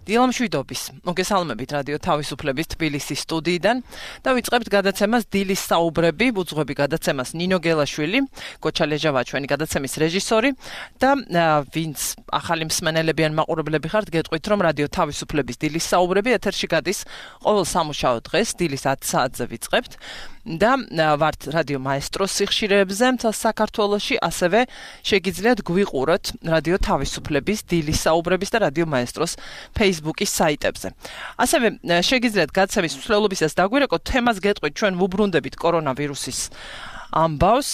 დილამშვიდობის. მოგესალმებით რადიო თავისუფლების თბილისის სტუდიიდან და ვიწყებთ გადაცემას დილის საუბრები, უძღვები გადაცემას ნინო გელაშვილი, კოჩა ლეჟავა ჩვენი გადაცემის რეჟისორი და ვინც ახალი მსმენელები ან მაყურებლები ხართ, გეტყვით რომ რადიო თავისუფლების დილის საუბრები ეთერში გადის ყოველ სამუშაო დღეს დილის 10 საათზე ვიწყებთ და ვართ რადიო მაესტროს სიხშირეებზე მთელ საქართველოში, ასევე შეგიძლიათ გვიყუროთ რადიო თავისუფლების დილის საუბრების და რადიო მაესტროს Facebook-ის საიტებზე. ასევე შეგიძლიათ გადაცემის მსვლელობისას დაგვირეკოთ თემას გეტყვით ჩვენ ვუბრუნდებით კორონავირუსის ამბავს,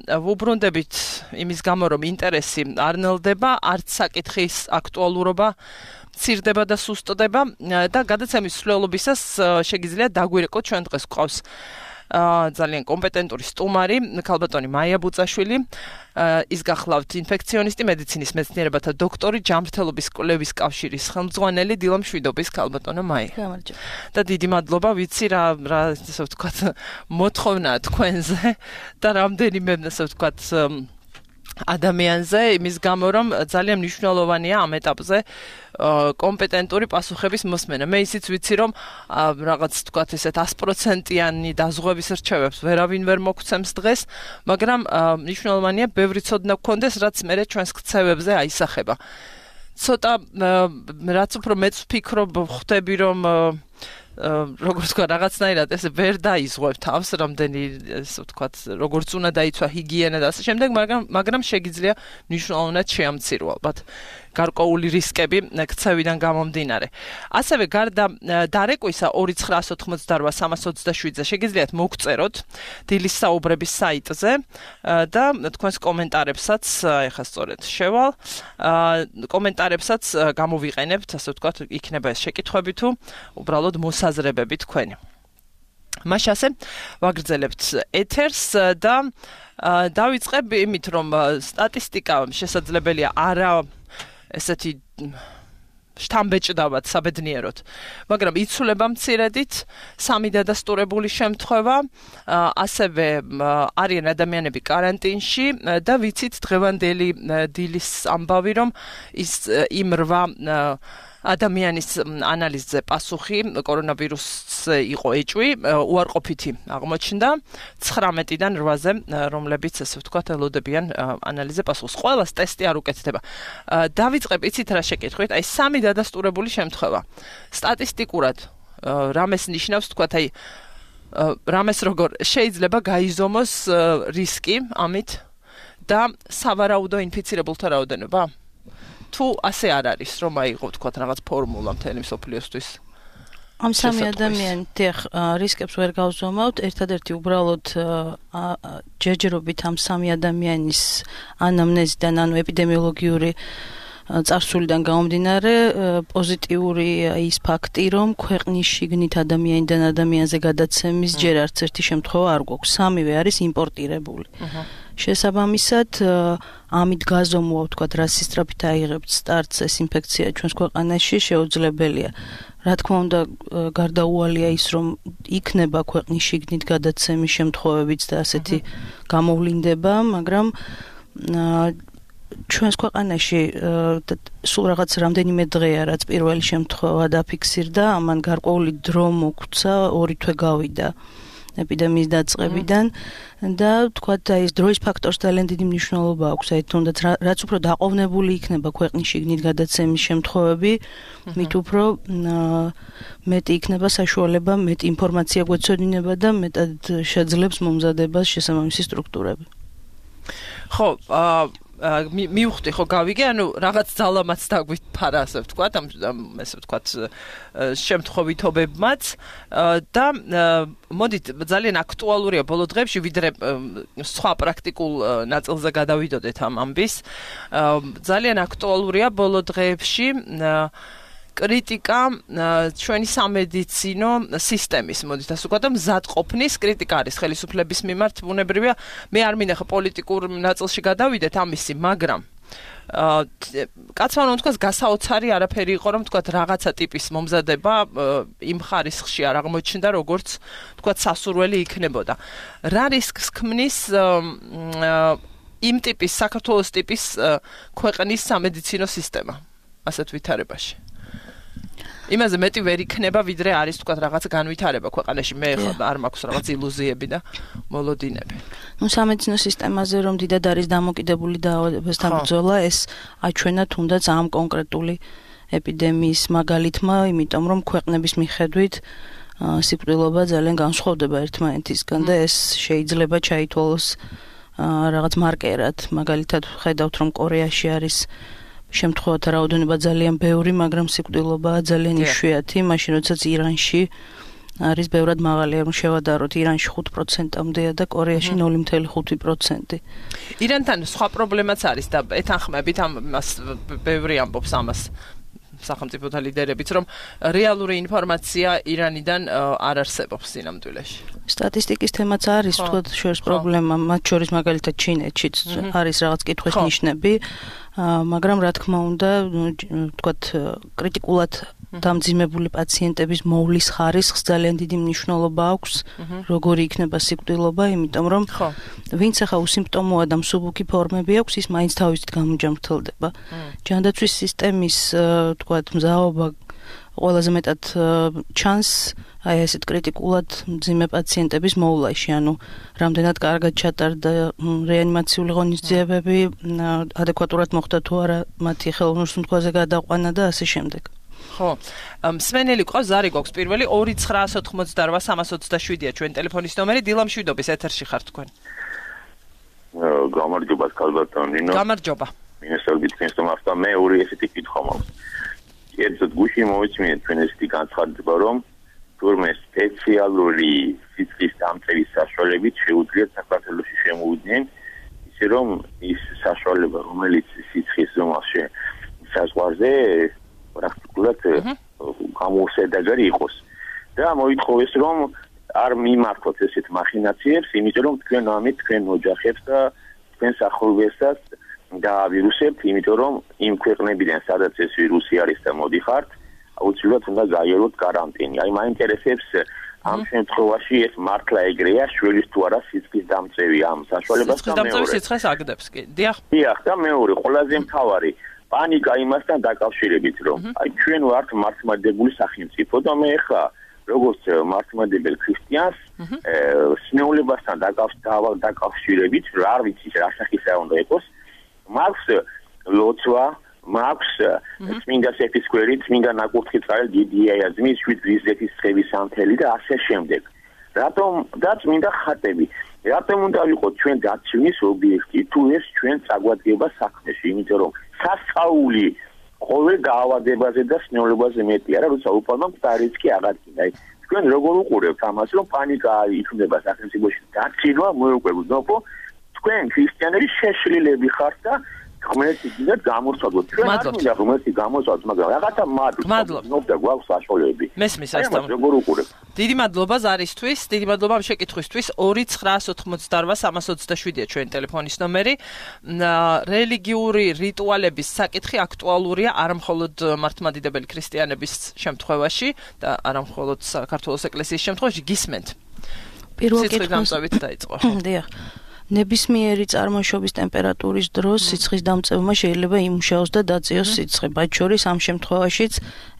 ვუბრუნდებით იმის გამო რომ ინტერესი არ ნელდება, არც საკითხის აქტუალურობა მცირდება და სუსტდება და გადაცემის მსვლელობისას შეგიძლიათ დაგვირეკოთ ჩვენ დღეს გვყავს ძალიან კომპეტენტური სტუმარი, ქალბატონი მაია ბუწაშვილი, ის გახლავთ ინფექციონისტი, მედიცინის მეცნიერებათა დოქტორი, ჯანმრთელობის კვლევის კავშირის ხელმძღვანელი, დილამშვიდობის ქალბატონო მაია. გამარჯობა. და დიდი მადლობა, ვიცი რა ასე ვთქვათ, მოთხოვნა თქვენზე და რამდენიმე ასე ვთქვათ ადამიანზე, იმის გამო რომ ძალიან მნიშვნელოვანია ამ ეტაპზე კომპეტენტური პასუხების მოსმენა. მე ისიც ვიცი რომ რაღაც თქვათ ესეთ 100%-იანი დაზღვევის რჩევებს ვერავინ ვერ მოგცემს დღეს, მაგრამ მნიშვნელოვანია ბევრი ცოდნა გქონდეს, რაც მე ჩვენს ქცევებზე აისახება. ცოტა რაც უფრო მეც ვფიქრობ, ხვდები რომ როგორც თქვა რაღაცნაირად ესე ვერ დაიზღვევ თავს, რამდენი ესე ვთქვათ, როგორც უნდა დაიცვა ჰიგიენა და ასე შემდეგ, მაგრამ შეგიძლია მნიშვნელოვნად შეამცირო ალბათ გარკვეული რისკები ქცევიდან გამომდინარე. ასევე გარდა დარეკვისა 2988327-ზე შეგიძლიათ მოგწეროთ დილის საუბრების საიტზე და თქვენს კომენტარებსაც, ეხლა სწორედ შევალ, კომენტარებსაც გამოვიყენებთ, ასე ვთქვათ, იქნება ეს შეკითხვები თუ უბრალოდ მოსაზრებები თქვენი. მაშინ ასე ვაგრძელებთ ეთერს და დავიწყებ იმით, რომ სტატისტიკა შესაძლებელია არა ესეთი შთამბეჭდავად საბედნიეროდ, მაგრამ იცვლება მცირედით, 3 დადასტურებული შემთხვევა, ასევე არიან ადამიანები კარანტინში და ვიცით დღევანდელი დილის ამბავი, რომ ის იმ 8 ადამიანის ანალიზზე პასუხი კორონავირუსზე იყო ეჭვი, უარყოფითი აღმოჩნდა 19-დან 8-ზე, რომლებიც ასე ვთქვათ ელოდებიან ანალიზზე პასუხს. ყველას ტესტი არ უკეთდება. დავიწყებ იცით რა შეკითხვით, აი 3 დადასტურებული შემთხვევა. სტატისტიკურად რამეს ნიშნავს, ვთქვათ, აი რამეს როგორ შეიძლება გაიზომოს რისკი ამით და სავარაუდო ინფიცირებულთა რაოდენობა? თუ ასე არ არის, რომ აიღო თქვათ რაღაც ფორმულა მთელი მსოფლიოსთვის. ამ 3 ადამიანით რისკებს ვერ გავზომავთ, ერთადერთი უბრალოდ ჯერჯერობით ამ 3 ადამიანის ანამნეზიდან, ანუ ეპიდემიოლოგიური წარსულიდან გამომდინარე, პოზიტიური ის ფაქტი, რომ ქვეყნის შიგნით ადამიანიდან ადამიანზე გადაცემის ჯერ არც ერთი შემთხვევა არ გვაქვს. 3-ვე არის იმპორტირებული. შესაბამისად, ამით გაზომვა, ვთქვათ, რა სისწრაფით აიღებთ სტარტს ეს ინფექცია ჩვენს ქვეყანაში შეუძლებელია. რა თქმა უნდა, გარდაუვალია ის, რომ იქნება ქვეყნის შიგნით გადაცემის შემთხვევებიც და ასეთი გამოვლინდება, მაგრამ ჩვენს ქვეყანაში სულ რაღაც რამდენიმე დღეა, რაც პირველი შემთხვევა დაფიქსირდა, ამან გარკვეული დრო მოგვცა, 2 თვე გავიდა ეპიდემიის დაწყებიდან და თქვათ აი ეს დროის ფაქტორს ძალიან დიდი მნიშვნელობა აქვს, აი თუნდაც რაც უფრო დაყოვნებული იქნება ქვეყნის შიგნით გადაცემის შემთხვევები, მით უფრო მეტი იქნება საშუალება, მეტი ინფორმაცია გვეცოდინება და მეტად შეძლებს მომზადებას შესაბამისი სტრუქტურები. ხო, მივხვდი ხო გავიგე, ანუ რაღაც ძალამაც დაგვიფარა, ასე ვთქვათ, ამ ესე ვთქვათ შემთხვევითობებმაც და მოდით ძალიან აქტუალურია ბოლო დღეებში, ვიდრე სხვა პრაქტიკულ ნაწილზე გადავიდოდეთ ამ ამბის. ძალიან აქტუალურია ბოლო დღეებში კრიტიკა ჩვენი სამედიცინო სისტემის, მოდით ასე ვთქვათ, მზადყოფნის კრიტიკა არის ხელისუფლების მიმართ, ბუნებრივია, მე არ მინახა პოლიტიკურ ნაწილში გადავიდეთ ამისი, მაგრამ კაცმა რომ თქვას გასაოცარი არაფერი იყო, რომ თქვათ რაღაცა ტიპის მომზადება იმ ხარისხში არ აღმოჩნდა, როგორც თქვათ სასურველი იქნებოდა. რა რისკს ქმნის იმ ტიპის საქართველოს ტიპის ქვეყნის სამედიცინო სისტემა ასეთ ვითარებაში? იმაზე მეტი ვერ იქნება, ვიდრე არის თქვა რაღაც განვითარება ქვეყანაში. მე არ მაქვს რაღაც ილუზიები და მოლოდინები. სამედიცინო სისტემაზე რომ დიდად არის დამოკიდებული დაავადებასთან ბრძოლა, ეს აჩვენა თუნდაც ამ კონკრეტული ეპიდემიის მაგალითმა, იმიტომ რომ ქვეყნების მიხედვით სიკვდილობა ძალიან განსხვავდება ერთმანეთისგან და ეს შეიძლება ჩაითვალოს რაღაც მარკერად. მაგალითად ხედავთ რომ კორეაში არის შემთხვევათა რაოდენობა ძალიან ბევრი, მაგრამ სიკვდილობა ძალიან იშვიათი, მაშინ როდესაც ირანში არის ბევრად მაღალი, რომ შევადაროთ, ირანში 5%-მდეა და კორეაში 0.5%. ირანთან სხვა პრობლემაც არის და ეთანხმებით ამას ბევრი ამბობს ამას სახელმწიფოთა ლიდერებიც, რომ რეალური ინფორმაცია ირანიდან არ არსებობს სინამდვილეში. სტატისტიკის თემაც არის, თქვათ, შორის პრობლემა, მათ შორის მაგალითად ჩინეთშიც არის რაღაც კითხვის ნიშნები, მაგრამ რა თქმა უნდა, თქვათ, კრიტიკულად დამძიმებული პაციენტების მოვლის ხარისხს ძალიან დიდი მნიშვნელობა აქვს, როგორი იქნება სიკვდილობა, იმიტომ რომ ვინც ახლა უსიმპტომოა და მსუბუქი ფორმები აქვს, ის მაინც თავისით გამოჯამრთელდება. ჯანდაცვის სისტემის, თქვათ, მზაობა ყველაზე მეტად ჩანს აი ესეთ კრიტიკულად მძიმე პაციენტების მოვლაში, ანუ რამდენად კარგად ჩატარდა რეანიმაციული ღონისძიებები, ადეკვატურად მოხდა თუ არა მათი ხელოვნურსუნთქვაზე გადაყვანა და ასე შემდეგ. ხო, მსმენელი ყავს, ზარი გვაქვს პირველი 2988327-ია ჩვენ ტელეფონის ნომერი, დილამშვიდობის ეთერში ხართ თქვენ. გამარჯობა, კალბატონინო. გამარჯობა. მინესალბით ქენსტომასთან მე ორი ესეთი კითხვა მაქვს. კერძოდ გუშინ მოვიწმინეთ ჩვენ ესეთი განცხადება, რომ თურმე სპეციალური სიცხის დამწევის საშუალებით შეუძლიათ საქართველოში შემოვიდნენ, ისე რომ ის საშუალება, რომელიც სიცხის ზომაში საზღვარზე პრაქტიკულად გამოსადეგარი იყოს. და მოითხოვეს, რომ არ მიმართოთ ესეთ მახინაციებს, იმიტომ რომ თქვენ ამით თქვენ ოჯახებს და თქვენ სახურებასაც დაავირუსებთ, იმიტომ რომ იმ ქვეყნებიდან, სადაც ეს ვირუსი არის და მოდიხართ, აუცილებლად უნდა გაიაროთ კარანტინი. აი მაინტერესებს ამ შემთხვევაში ეს მართლა ეგრეა, შვილის თუ არა სიცხის დამწევი ამ საშუალებას და მეორე. სიცხეს აგდებს კი. დიახ. დიახ, და მეორე, ყველაზე მთავარი პანიკა იმასთან დაკავშირებით, რომ აი ჩვენ ვართ მართლმადიდებელი სახელმწიფო და მე ხა როგორც მართლმადიდებელ ქრისტიანს სნეულებასთან დაკავშირებით, რა ვიცი რა სახისა უნდა იყოს, მაქვს ლოცვა, მაქვს წმინდა სეფისკვერი, წმინდა ნაკურთხი წყალი, დიდი აიაზმის, 7 გრიზეთის ცხების სამთელი და ასე შემდეგ. რატომ და წმინდა ხატები? რატომ უნდა ვიყოთ ჩვენ დაცვის ობიექტი, თუ ეს ჩვენ წაგვადგება საქმეში, იმიტომ რომ სასწაული ყოველ დაავადებაზე და სნეულებაზე მეტია, როცა უპარმა მწარიც კი აღადგინა. თქვენ როგორ უყურებთ ამას, რომ პანიკა იქნება სახელმწიფოში, დაცინვა მოეკვებოდნო, თქვენ ქრისტიანები შეშლილები ხართ და ღმერთიდან გამორჩადოთ. ჩვენ არ უნდა ღმერთი გამორჩადოთ, მაგრამ რაღაცა მადლობა გვაქვს საშუალები. მესმის ასთან. როგორ უყურებთ? დიდი მადლობა ზარისთვის, დიდი მადლობა ამ შეკითხვისთვის. 2988327-ია ჩვენ ტელეფონის ნომერი. რელიგიური რიტუალების საკითხი აქტუალურია არა მხოლოდ მართლმადიდებელი ქრისტიანების შემთხვევაში და არა მხოლოდ საქართველოს ეკლესიის შემთხვევაში. გისმენთ. პირველ კითხვას დაიწყო. დიახ. ნებისმიერი წარმოშობის ტემპერატურის დროს სიცხის დამწევმა შეიძლება იმუშაოს და დაწიოს სიცხე. მათ შორის ამ შემთხვევაშიც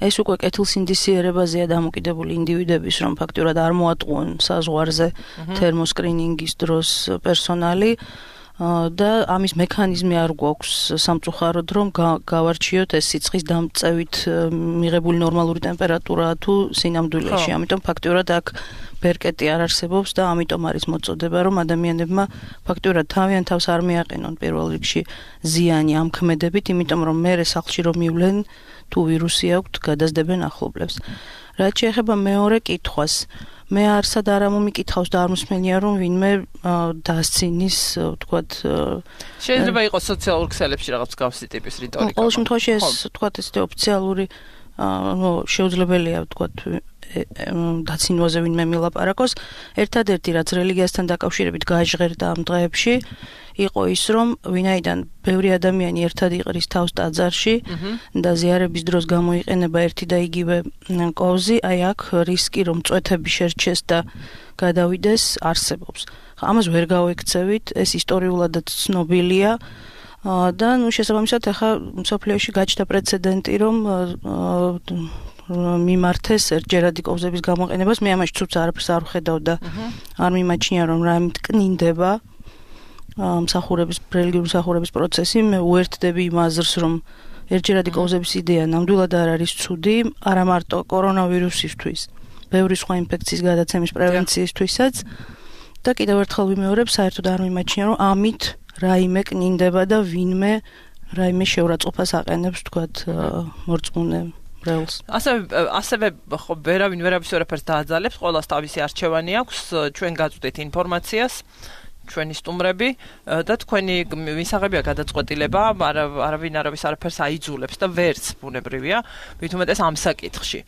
ეს უკვე კეთილსინდისიერებაზეა დამოკიდებული ინდივიდების, რომ ფაქტურად არ მოატყუონ საზღვარზე თერმოსკრინინგის დროს პერსონალი და ამის მექანიზმი არ გვაქვს სამწუხაროდ, რომ გავარჩიოთ ეს სიცხის დამწევით მიღებული ნორმალური ტემპერატურა თუ სინამდვილეში. ამიტომ ფაქტურად აქ ბერკეტი არ არსებობს და ამიტომ არის მოწოდება, რომ ადამიანებმა ფაქტურად თავიანთ თავს არ მიაყენონ პირველ რიგში ზიანი ამ ქმედებით, იმიტომ რომ მერე სახლში რომ მივლენ თუ ვირუსი აქვთ, გადაზდებენ ახლობლებს. რაც შეეხება მეორე კითხვას, მე არსად არ მომიკითხავს და არ მოსმენია, რომ ვინმე დასცინის, ვთქვათ, შეიძლება იყოს სოციალურ ქსელებში რაღაც გავსი ტიპის რიტორიკა. ყოველ შემთხვევაში ეს, ვთქვათ, ესეთი ოფიციალური შეუძლებელია, ვთქვათ, დაცინვაზე ვინმე მილაპარაკოს. ერთადერთი რაც რელიგიასთან დაკავშირებით გაჟღერდა ამ დღეებში, იყო ის, რომ ვინაიდან ბევრი ადამიანი ერთად იყრის თავს ტაძარში და ზიარების დროს გამოიყენება ერთი და იგივე კოვზი, აი აქ რისკი რომ წვეთები შერჩეს და გადავიდეს არსებობს. ამას ვერ გავექცევით, ეს ისტორიულადაც ცნობილია. და შესაბამისად ახლა მსოფლიოში გაჩნდა პრეცედენტი, რომ მიმართეს ერთჯერადი კოვზების გამოყენებას. მე ამაში ცუც არაფერს არ ვხედავ და არ მიმაჩნია რომ რაიმე ტკნინდება მსახურების რელიგიური მსახურების პროცესი. მე უერთდები იმ აზრს რომ ერთჯერადი კოვზების იდეა ნამდვილად არ არის ცუდი, არა მარტო კორონავირუსისთვის, ბევრი სხვა ინფექციის გადაცემის პრევენციისთვისაც და კიდევ ერთხელ ვიმეორებ, საერთოდ არ მიმაჩნია რომ ამით რაიმე კნინდება და ვინმე რაიმე შეურაცხყოფას აყენებს თქვათ მორწმუნე ბრელს. ასევე ხო ვერავინ ვერაფერს დააძალებს, ყველას თავისი არჩევანი აქვს, ჩვენ გაწვდით ინფორმაციას ჩვენი სტუმრები და თქვენი მისაღებია გადაწყვეტილება, არავინ არავის არაფერს აიძულებს და ვერც ბუნებრივია, მით უმეტეს ამ საკითხში.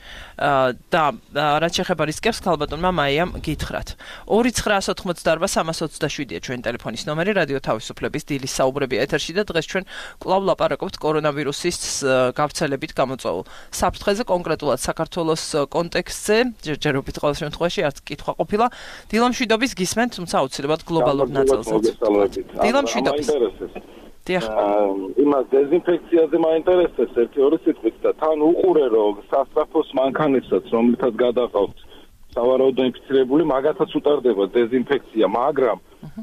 და რაც შეეხება რისკებს, ქალბატონმა მაიამ გითხრათ. 2988327-ია ჩვენი ტელეფონის ნომერი, რადიო თავისუფლების დილის საუბრები ეთერში და დღეს ჩვენ კვლავ ლაპარაკობთ კორონავირუსის გავრცელებით გამოწვეულ საფრთხეზე, კონკრეტულად საქართველოს კონტექსტზე, ჯერჯერობით ყოველ შემთხვევაში არც კითხვა ყოფილა. დილამშვიდობის გისმენთ, თუმცა აუცილებლად გლობალურ ნაწილსაც. დილამშვიდობის. იმას დეზინფექციაზე მაინტერესებს ერთი-ორი სიტყვით და თან უყურე რომ სასწრაფოს მანქანებსაც რომლითაც გადაყავთ სავარაუდო ინფიცირებული მაგათაც უტარდება დეზინფექცია, მაგრამ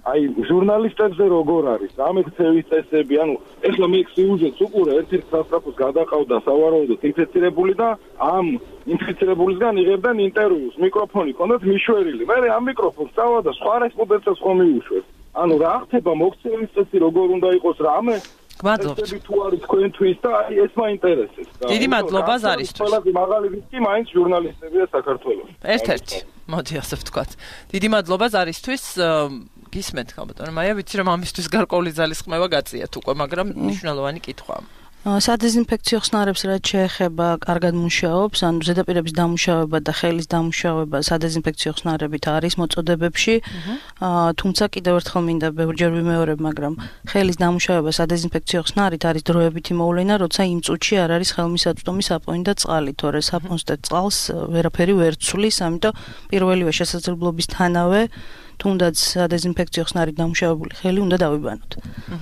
აი ჟურნალისტებზე როგორ არის ამ ქცევის წესები, ანუ ეხლა მე სიუჟეტს უყურე ერთ-ერთ სასწრაფოს გადაყავდა სავარაუდოდ ინფიცირებული და ამ ინფიცირებულისგან იღებდნენ ინტერვიუს, მიკროფონი ჰქონდათ მიშვერილი. მე ამ მიკროფონს წავა და სხვა რესპონდენტებს ხომ მიუშვეს. ანუ რა ხდება მოქცევის წესი როგორ უნდა იყოს რამე? გმადლობთ. თუ არის თქვენთვის და აი ეს მაინტერესებს. დიდი მადლობა ზარისთვის. ყველაზე მაღალი რისკი მაინც ჟურნალისტებია საქართველოს. ერთ-ერთი, მოდი ასე ვთქვათ. დიდი მადლობა ზარისთვის. გისმენთ ქალბატონო მაია, ვიცი რომ ამისთვის გარკვეული ძალის ხმევა გაწიათ უკვე, მაგრამ მნიშვნელოვანი კითხვაა. სადეზინფექციო ხსნარებს რაც შეეხება კარგად მუშაობს, ანუ ზედაპირების დამუშავება და ხელის დამუშავება სადეზინფექციო ხსნარებით არის მოწოდებებში, თუმცა კიდევ ერთხელ მინდა ბევრჯერ ვიმეორებ, მაგრამ ხელის დამუშავება სადეზინფექციო ხსნარით არის დროებითი მოვლენა, როცა იმ წუთში არ არის ხელმისაწვდომი საპონი და წყალი, თორე საპონს და წყალს ვერაფერი ვერ ცვლის, ამიტომ პირველივე შესაძლებლობისთანავე თუნდაც სადეზინფექციო ხსნარით დამუშავებული ხელი უნდა დავიბანოთ.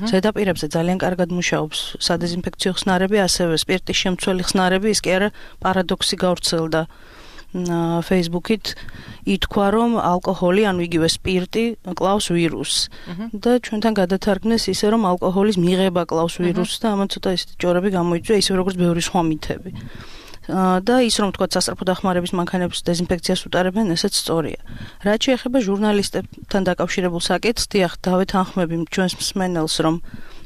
ზედაპირებზე ძალიან კარგად მუშაობს სადეზინფექციო ხსნარები, ასევე სპირტის შემცველი ხსნარები, ის კი არა პარადოქსი გავრცელდა Facebook-ით, ითქვა რომ ალკოჰოლი, ანუ იგივე სპირტი კლავს ვირუსს. და ჩვენთან გადათარგმნეს ისე რომ ალკოჰოლის მიღება კლავს ვირუსს და ამან ცოტა ისეთი ჭორები გამოიწვია, ისე როგორც ბევრი სხვა მითები. და ის რომ თქვა სასწრაფო დახმარების მანქანებს დეზინფექციას უტარებენ, ესეც სწორია. რაც შეეხება ჟურნალისტებთან დაკავშირებულ საკითხს, დიახ, დავეთანხმები ჩვენს მსმენელს, რომ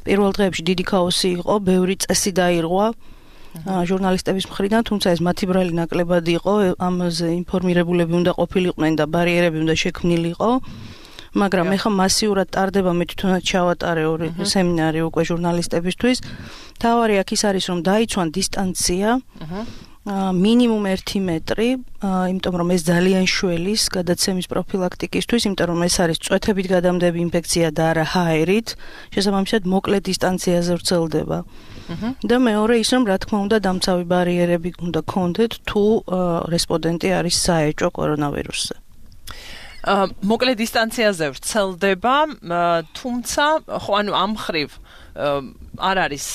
პირველ დღეებში დიდი ქაოსი იყო, ბევრი წესი დაირღვა ჟურნალისტების მხრიდან, თუმცა ეს მათი ბრალი ნაკლებად იყო, ამაზე ინფორმირებულები უნდა ყოფილიყვნენ და ბარიერები უნდა შექმნილიყო. მაგრამ ეხლა მასიურად ტარდება, მე თვითონაც ჩავატარე ორი სემინარი უკვე ჟურნალისტებისთვის. თავარი აქ ის არის, რომ დაიცვან დისტანცია, მინიმუმ 1 მეტრი, იმიტომ რომ ეს ძალიან შველის გადაცემის პროფილაქტიკისთვის, იმიტომ რომ ეს არის წვეთებით გადამდები ინფექცია და არა ჰაერით, შესაბამისად მოკლე დისტანციაზე ვრცელდება. და მეორე ის რომ რა თქმა უნდა დამცავი ბარიერები უნდა გქონდეთ თუ რესპონდენტი არის საეჭვო კორონავირუსზე. მოკლე დისტანციაზე ვრცელდება, თუმცა ხო ანუ ამ ხრივ არ არის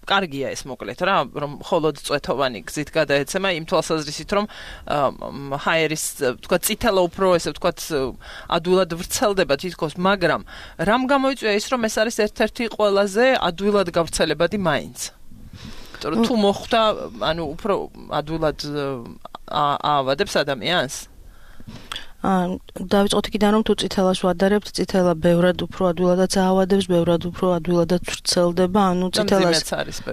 კარგია ეს მოკლედ რა, რომ მხოლოდ წვეთოვანი გზით გადაეცემა იმ თვალსაზრისით, რომ ჰაერის თქვა წითელა უფრო ესე ვთქვათ ადვილად ვრცელდება თითქოს, მაგრამ რამ გამოიწვია ის, რომ ეს არის ერთ-ერთი ყველაზე ადვილად გავრცელებადი მაინც. თუ მოხვდა, ანუ უფრო ადვილად აავადებს ადამიანს? დავიწყოთ იქიდან რომ თუ წითელას ვადარებთ, წითელა ბევრად უფრო ადვილადაც აავადებს, ბევრად უფრო ადვილადაც ვრცელდება, ანუ წითელას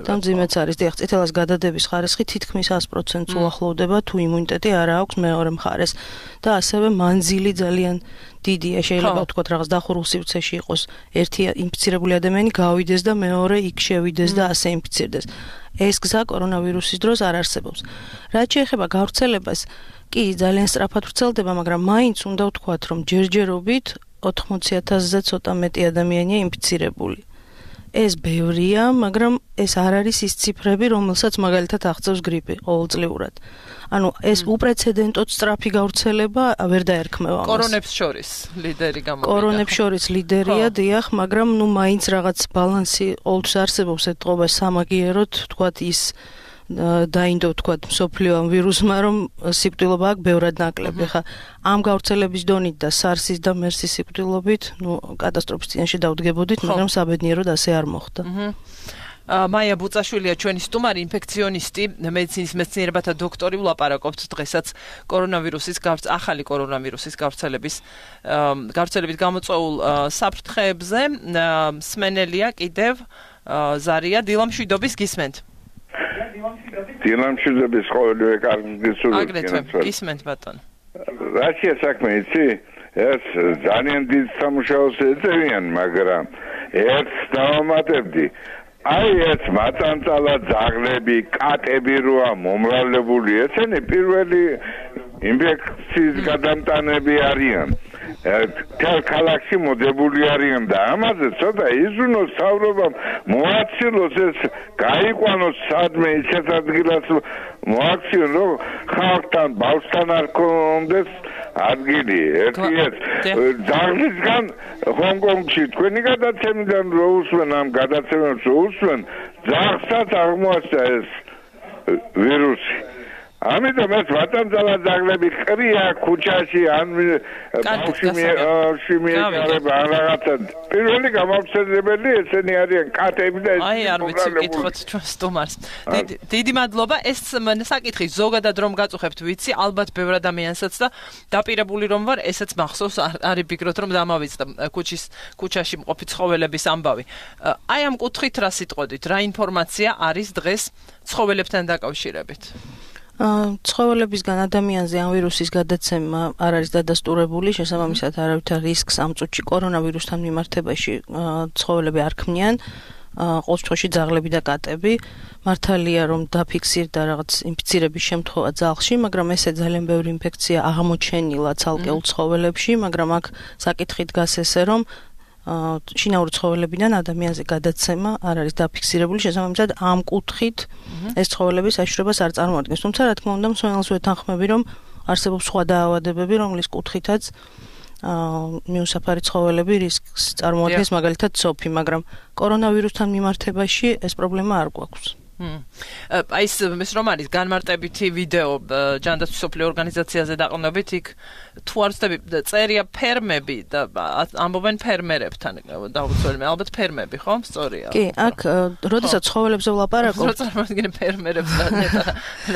და მძიმეც არის. დიახ, წითელას გადადების ხარისხი თითქმის 100%-ს უახლოვდება, თუ იმუნიტეტი არ აქვს მეორე მხარეს და ასევე მანძილი ძალიან დიდია, შეიძლება ვთქვათ რაღაც დახურულ სივრცეში იყოს ერთი ინფიცირებული ადამიანი გავიდეს და მეორე იქ შევიდეს და ასე ინფიცირდეს. ეს გზა კორონავირუსის დროს არ არსებობს. რაც შეეხება გავრცელებას, კი ძალიან სწრაფად ვრცელდება, მაგრამ მაინც უნდა ვთქვათ, რომ ჯერჯერობით 80,000-ზე ცოტა მეტი ადამიანია ინფიცირებული. ეს ბევრია, მაგრამ ეს არ არის ის ციფრები, რომელსაც მაგალითად აღწევს გრიპი ყოველწლიურად. ანუ ეს უპრეცედენტოდ სწრაფი გავრცელება ვერ დაერქმევა ამას. კორონებს შორის ლიდერი გამოვიდა. კორონებს შორის ლიდერია, დიახ, მაგრამ ნუ მაინც რაღაც ბალანსი ყოველთვის არსებობს ეთყობა სამაგიეროდ, თქვათ ის დაინდო თქვა მსოფლიო ამ ვირუსმა, რომ სიკვდილობა აქვს ბევრად ნაკლები. ხა ამ გავრცელების დონით და SARS-ის და MERS-ის სიკვდილობით, კატასტროფის წინაშე დავდგებოდით, მაგრამ საბედნიეროდ ასე არ მოხდა. მაია ბუწაშვილია ჩვენი სტუმარი, ინფექციონისტი, მედიცინის მეცნიერებათა დოქტორი. ვლაპარაკობთ დღესაც ახალი კორონავირუსის გავრცელებით გამოწვეულ საფრთხეებზე. მსმენელია კიდევ ზარია დილამშვიდობის გისმენთ. დილამშვიდობის ყოველივე კარგი სულ გისმენთ ბატონო. რაშია საქმე იცი? ეს ძალიან დიდ სამუშაოს ეწევიან, მაგრამ ერთს დავამატებდი. აი ეს მაწანწალა ძაღლები, კატები როა მომრავლებული, ესენი პირველი ინფექციის გადამტანები არიან. თელ ქალაქში მოდებული არიან და ამაზე ცოტა იზრუნოს საუბრობამ მოაცილოს ეს გაიყვანოს სადმე ისეთ ადგილას მოაქციონ რომ ხალხთან ბავშვთან არ კონდეს ადგილი. ერთი ეს ძაღლისგან ჰონკონგში თქვენი გადაცემიდან რო უსვენ ამ გადაცემებს რო უსვენ ძაღლსაც აღმოაჩნდა ეს ვირუსი. ამიტომ ეს ვატანძალა ძაღლები ყრია ქუჩაში ან ბავშვი მიეყარება ან რაღაცა პირველი გამავრცელებელი ესენი არიან კატები და აი არ ვიცი კითხოთ ჩვენ სტუმარს. დიდი მადლობა. ეს საკითხი ზოგადად რომ გაწუხებთ ვიცი, ალბათ ბევრ ადამიანსაც და დაპირებული რომ ვარ, ესეც მახსოვს, არ იფიქროთ რომ დამავიწყდა ქუჩაში მყოფი ცხოველების ამბავი. აი ამ კუთხით რა სიტყვოდით, რა ინფორმაცია არის დღეს ცხოველებთან დაკავშირებით? ცხოველებისგან ადამიანზე ამ ვირუსის გადაცემა არ არის დადასტურებული, შესაბამისად არავითარ რისკს ამ წუთში კორონავირუსთან მიმართებაში ცხოველები არ ქმნიან, ყოველ შემთხვევაში ძაღლები და კატები. მართალია რომ დაფიქსირდა რაღაც ინფიცირების შემთხვევა ძაღლში, მაგრამ ესე ძალიან ბევრი ინფექცია აღმოჩენილა ცალკეულ ცხოველებში, მაგრამ აქ საკითხი დგას ესე რომ შინაური ცხოველებიდან ადამიანზე გადაცემა არ არის დაფიქსირებული, შესაბამისად ამ კუთხით ეს ცხოველების საშიშრობას არ წარმოადგენს. თუმცა რა თქმა უნდა, მსმენელს ვეთანხმები, რომ არსებობს სხვა დაავადებები, რომლის კუთხითაც მიუსაფარი ცხოველები რისკს წარმოადგენს, მაგალითად სოფი, მაგრამ კორონავირუსთან მიმართებაში ეს პრობლემა არ გვაქვს. აი ეს რომ არის განმარტებითი ვიდეო ჯანდაცვის მსოფლიო ორგანიზაციაზე დაყრდნობით, იქ თუ არ ვცდები წერია ფერმები და ამბობენ ფერმერებთან დაუცველია, ალბათ ფერმები, ხო? სწორია. კი, აქ როდესაც ცხოველებზე ვლაპარაკობ, წარმოადგენენ ფერმერებს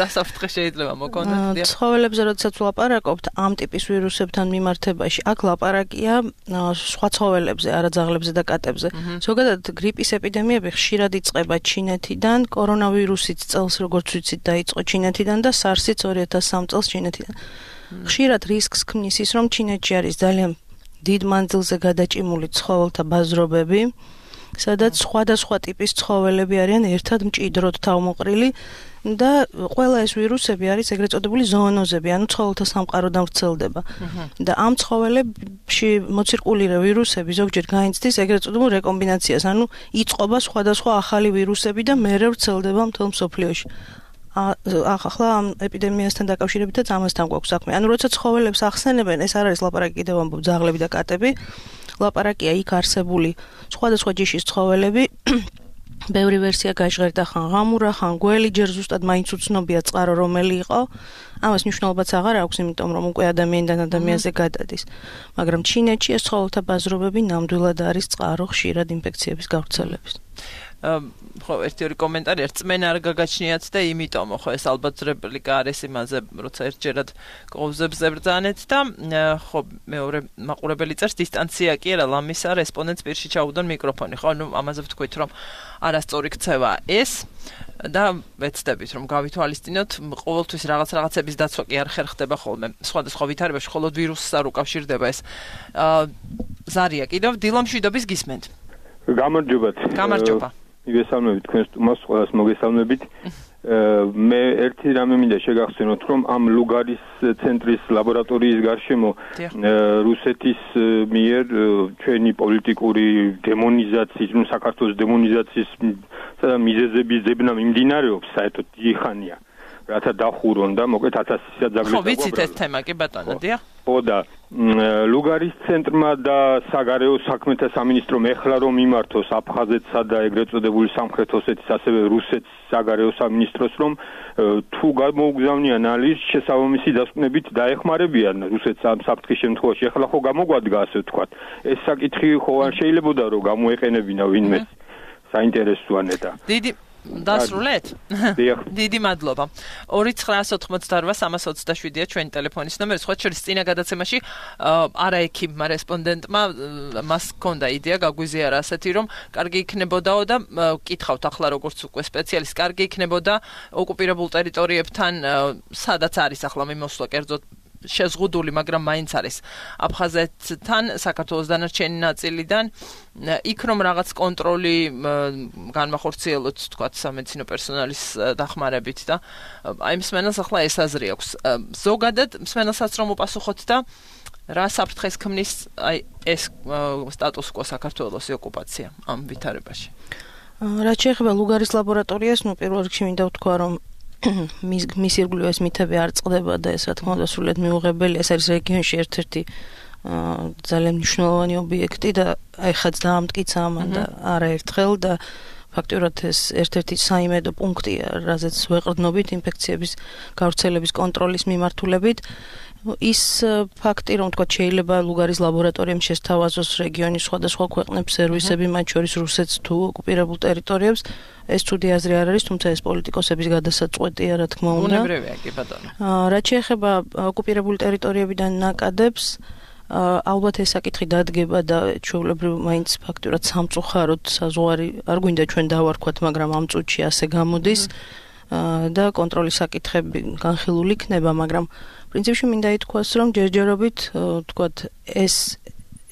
და საფრთხე შეიძლება მოგონოთ. ცხოველებზე როდესაც ვლაპარაკობთ ამ ტიპის ვირუსებთან მიმართებაში, აქ ლაპარაკია სხვა ცხოველებზე, არა ძაღლებზე და კატებზე. ზოგადად გრიპის ეპიდემიები ხშირად იწყება ჩინეთიდან, კორონავირუსიც წელს როგორც ვიცით დაიწყო ჩინეთიდან და SARS-იც 2003 წელს ჩინეთიდან. ხშირად რისკს ქმნის ის, რომ ჩინეთში არის ძალიან დიდ მანძილზე გადაჭიმული ცხოველთა ბაზრობები, სადაც სხვადასხვა ტიპის ცხოველები არიან ერთად მჭიდროდ თავმოყრილი და ყველა ეს ვირუსები არის ეგრეთ წოდებული ზოონოზები, ანუ ცხოველთა სამყაროდან ვრცელდება. და ამ ცხოველებში მოცირკულირე ვირუსები ზოგჯერ გაინცდის ეგრეთ წოდებულ რეკომბინაციას, ანუ იწყობა სხვადასხვა ახალი ვირუსები და მერე ვრცელდება მთელ მსოფლიოში. ახლა ამ ეპიდემიასთან დაკავშირებითაც ამასთან გვაქვს საქმე. ანუ როცა ცხოველებს ახსენებენ, ეს არ არის ლაპარაკი კიდევ ამბობ ძაღლები და კატები, ლაპარაკია იქ არსებული სხვადასხვა ჯიშის ცხოველები. ბევრი ვერსია გაჟღერდა, ხან ღამურა, ხან გველი, ჯერ ზუსტად მაინც უცნობია წყარო რომელი იყო. ამას მნიშვნელობაც აღარ აქვს, იმიტომ რომ უკვე ადამიანიდან ადამიანზე გადადის. მაგრამ ჩინეთში ეს ცხოველთა ბაზრობები ნამდვილად არის წყარო ხშირად ინფექციების გავრცელების. ხო, ერთი კომენტარი რწმენა არ გაგაჩნიათ და იმიტომ ხო ეს ალბათ რეპლიკა არის იმაზე, როცა ერთჯერად კოვზებს ებრძანეთ და ხო მეორე მაყურებელი წერს დისტანცია კი არა ლამისა რესპონდენტს პირში ჩაუდონ მიკროფონი, ხო, ну ამაზე ვთქვით რომ არასწორი ქცევა ეს და ვეცდებით რომ გავითვალისწინოთ ყოველთვის რაღაცების დაცვა კი არ ხერხდება ხოლმე სხვადასხვა ვითარებაში, მხოლოდ ვირუსს არ უკავშირდება ეს. ზარია კიდევ დილამშვიდობის გისმენთ. გამარჯობა. მოგესალმებით თქვენ სტუმარს, ყველას მოგესალმებით. მე ერთი რამე მინდა შეგახსენოთ, რომ ამ ლუგარის ცენტრის ლაბორატორიის გარშემო რუსეთის მიერ ჩვენი პოლიტიკური დემონიზაციის, საქართველოს დემონიზაციის მიზეზების ძებნა მიმდინარეობს საერთოდ დიდი ხანია. რათა დახურონ და მოკლედ 1000 საძაგლი ხო ვიცით ეს თემა კი ბატონო დიახ ხო და ლუგარის ცენტრმა და საგარეო საქმეთა სამინისტრომ ეხლა რომ მიმართოს აფხაზეთსა და ეგრეთ წოდებული სამხრეთ ოსეთის ასევე რუსეთის საგარეო სამინისტროს რომ თუ გამოუგზავნიან ალის შესაბამისი დასკვნებით დაეხმარებიან რუსეთს ამ საფრთხის შემთხვევაში ეხლა ხო გამოგვადგა ასე ვთქვათ ეს საკითხი ხო არ შეიძლებოდა რომ გამოეყენებინა ვინმე საინტერესოა ნეტა დიდი დასრულეთ? დიდი მადლობა. 2988327-ია ჩვენი ტელეფონის ნომერი. სხვა შორის წინა გადაცემაში არაექიმმა რესპონდენტმა მას ჰქონდა იდეა გაგვიზიარა ასეთი რომ კარგი იქნებოდაო და კითხავთ ახლა როგორც უკვე სპეციალისტ კარგი იქნებოდა ოკუპირებულ ტერიტორიებთან სადაც არის ახლა მიმოსვლა კერძოდ შეზღუდული, მაგრამ მაინც არის აფხაზეთთან, საქართველოს დანარჩენი ნაწილიდან, იქ რომ რაღაც კონტროლი განმახორციელოთ, თქვათ, სამედიცინო პერსონალის დახმარებით და აი მსმენელს ახლა ეს აზრი აქვს. ზოგადად მსმენელსაც რომ უპასუხოთ და რა საფრთხეს ქმნის აი ეს სტატუს კო საქართველოს ოკუპაცია ამ ვითარებაში. რაც შეეხება ლუგარის ლაბორატორიას, პირველ რიგში მინდა ვთქვა, რომ მის ირგვლივ ეს მითები არ წყდება და ეს რა თქმა უნდა სრულიად მიუღებელია. ეს არის რეგიონში ერთ-ერთი ძალიან მნიშვნელოვანი ობიექტი და აი ხაც დაამტკიცა ამან და არაერთხელ და ფაქტობრივად ეს ერთ-ერთი საიმედო პუნქტია, რაზეც ვეყრდნობით ინფექციების გავრცელების კონტროლის მიმართულებით. ის ფაქტი, რომ თქვა შეიძლება ლუგარის ლაბორატორიამ შესთავაზოს რეგიონის სხვადასხვა ქვეყნებს სერვისები, მათ შორის რუსეთს თუ ოკუპირებულ ტერიტორიებს, ეს ცუდი აზრი არ არის, თუმცა ეს პოლიტიკოსების გადასაწყვეტია, რა თქმა უნდა. უნებრივია კი ბატონო. რაც შეეხება ოკუპირებული ტერიტორიებიდან ნაკადებს, ალბათ ეს საკითხი დადგება და ჩვეულებრივ მაინც ფაქტურად სამწუხაროდ საზღვარი არ გვინდა ჩვენ დავარქვათ, მაგრამ ამ წუთში ასე გამოდის და კონტროლის საკითხები განხილული იქნება, მაგრამ პრინციპში მინდა ითქვას, რომ ჯერჯერობით, თქვათ,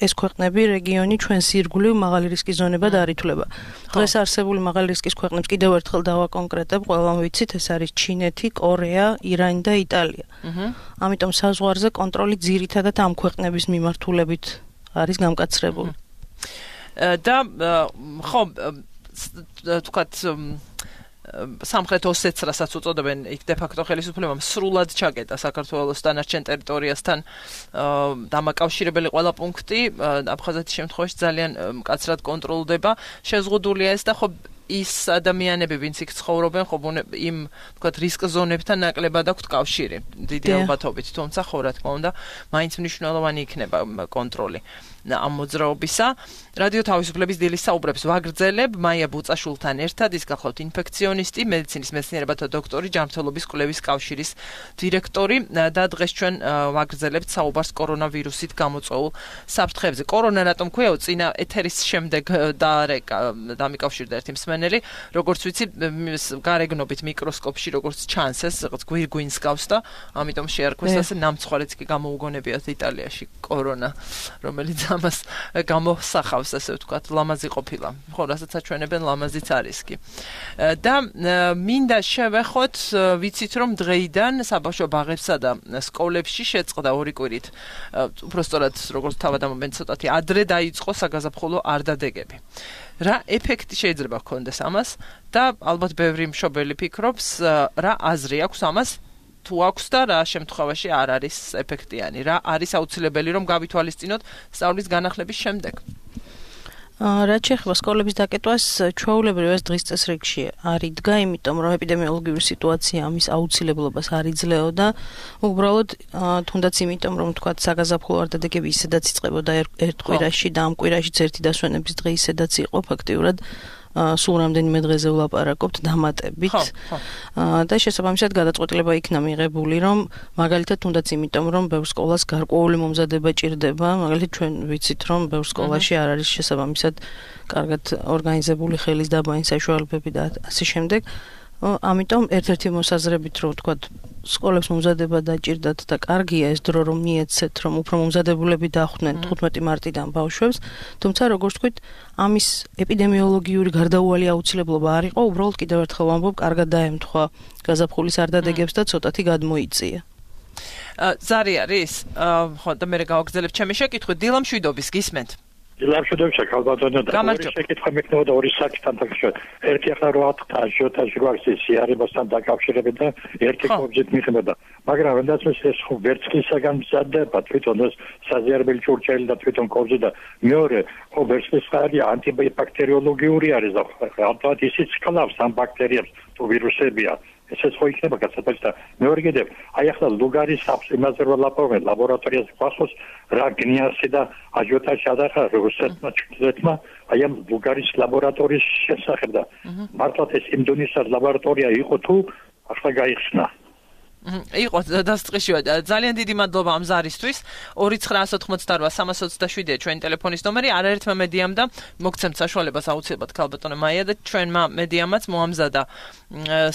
ეს ქვეყნები რეგიონი ჩვენს ირგვლივ მაღალი რისკის ზონებად არ ითვლება. დღეს არსებული მაღალი რისკის ქვეყნებს კიდევ ერთხელ დავაკონკრეტებ, ყველამ ვიცით, ეს არის ჩინეთი, კორეა, ირანი და იტალია. ამიტომ საზღვარზე კონტროლი ძირითადად ამ ქვეყნების მიმართულებით არის გამკაცრებული. და ხო, თქვათ სამხრეთ ოსეთს რასაც უწოდებენ იქ დე-ფაქტო ხელისუფლებამ სრულად ჩაკეტა საქართველოს დანარჩენ ტერიტორიასთან დამაკავშირებელი ყველა პუნქტი აფხაზეთის შემთხვევაში ძალიან მკაცრად კონტროლდება შეზღუდულია ეს და ხო ის ადამიანები ვინც იქ ცხოვრობენ ხო იმ თქვათ რისკ ზონებთან ნაკლებად აქვთ კავშირი დიდი ალბათობით თუმცა ხო რა თქმა უნდა მაინც მნიშვნელოვანი იქნება კონტროლი ამ მოძრაობისა რადიო თავისუფლების დილის საუბრებს ვაგრძელებ მაია ბუწაშულთან ერთად ის გახლავთ ინფექციონისტი მედიცინის მეცნიერებათა დოქტორი ჯანმრთელობის კვლევის კავშირის დირექტორი და დღეს ჩვენ ვაგრძელებთ საუბარს კორონავირუსით გამოწვეულ საფრთხეებზე კორონა რატომ ქვია წინა ეთერის შემდეგ დამიკავშირდა ერთი მსმენელი როგორც ვიცი გარეგნობით მიკროსკოპში როგორც ჩანს ეს რაღაც გვირგვინს გავს და ამიტომ შეარქვეს ასე ნამცხვარეც კი გამოუგონებიათ იტალიაში კორონა რომელიც ამას გამოსახავს ასე ვთქვათ ლამაზი ყოფილა ხო რასაც აჩვენებენ ლამაზიც არის კი და მინდა შევეხოთ ვიცით რომ დღეიდან საბავშვო ბაღებსა და სკოლებში შეწყდა ორი კვირით უბრალოდ როგორც თავად ამბობენ ცოტათი ადრე დაიწყო საგაზაფხულო არდადეგები რა ეფექტი შეიძლება ჰქონდეს ამას და ალბათ ბევრი მშობელი ფიქრობს რა აზრი აქვს ამას თუ აქვს და რა შემთხვევაში არ არის ეფექტიანი რა არის აუცილებელი რომ გავითვალისწინოთ სწავლის განახლების შემდეგ რაც შეეხება სკოლების დაკეტვას ჩვეულებრივ ეს დღის წესრიგში არ იდგა იმიტომ რომ ეპიდემიოლოგიური სიტუაცია ამის აუცილებლობას არ იძლეოდა უბრალოდ თუნდაც იმიტომ რომ თქვა საგაზაფხულო არდადეგები ისედაც იწყებოდა ერთ კვირაში და ამ კვირაშიც ერთი დასვენების დღე ისედაც იყო ფაქტიურად სულ რამდენიმე დღეზე ვლაპარაკობთ დამატებით და შესაბამისად გადაწყვეტილება იქნა მიღებული რომ მაგალითად თუნდაც იმიტომ რომ ბევრ სკოლას გარკვეული მომზადება ჭირდება მაგალითად ჩვენ ვიცით რომ ბევრ სკოლაში არ არის შესაბამისად კარგად ორგანიზებული ხელის დაბანი საშუალებები და ასე შემდეგ ამიტომ ერთ-ერთი მოსაზრებით რომ ვთქვა სკოლებს მომზადება დაჭირდათ და კარგია ეს დრო რომ მიეცეთ რომ უფრო მომზადებულები დახვდნენ 15 მარტიდან ბავშვებს თუმცა როგორც ვთქვით ამის ეპიდემიოლოგიური გარდაუვალი აუცილებლობა არ იყო უბრალოდ კიდევ ერთხელ ვამბობ კარგად დაემთხვა გაზაფხულის არდადეგებს და ცოტათი გადმოიწია ზარი არის ხო და მე გავაგზავნებ ჩემი შეკითხვით დილა მშვიდობის გისმენთ დილამშვიდობისა ქალბატონო და ორი შეკითხვა მექნებოდა ორი საკითხთან დაკავშირებით. ერთი ახლა რო ათქთა აჟიოტაჟი გვაქვს სიარებასთან დაკავშირებით და ერთი კობზით მიხმოდა. მაგრამ როდესაც ეს ხო ვერცხლისაგან მზადდება თვითონ ეს საზიარებელი ჭურჭელი და თვითონ კობზი და მეორე ხო ვერცხლის ხარი ანტიბაქტერიოლოგიური არის და ალბათ ისიც კლავს ამ ბაქტერიებს თუ ვირუსებია. ესეც ხო იქნება გასათვალისწინებელად და მეორე კიდევ აი ახლა ლუგარის იმაზე რომ ლაპარაკობენ ლაბორატორიაზე გახსოვს რა გნიასი და აჟიოტაჟი ადახა რუსეთმა ჩრდილოეთმა აი ამ ლუგარის ლაბორატორიის შესახებ და მართლაც ეს იმდონის ლაბორატორია იყო თუ ახლა გაიხსნა იყო დასწრიშია ძალიან დიდი მადლობა ამ ზარისთვის 2988327-ია ჩვენი ტელეფონის ნომერი არაერთმა მედიამ და მოგცემთ საშუალებას აუცილებლად ქალბატონო მაია და ჩვენმა მედიამაც მოამზადა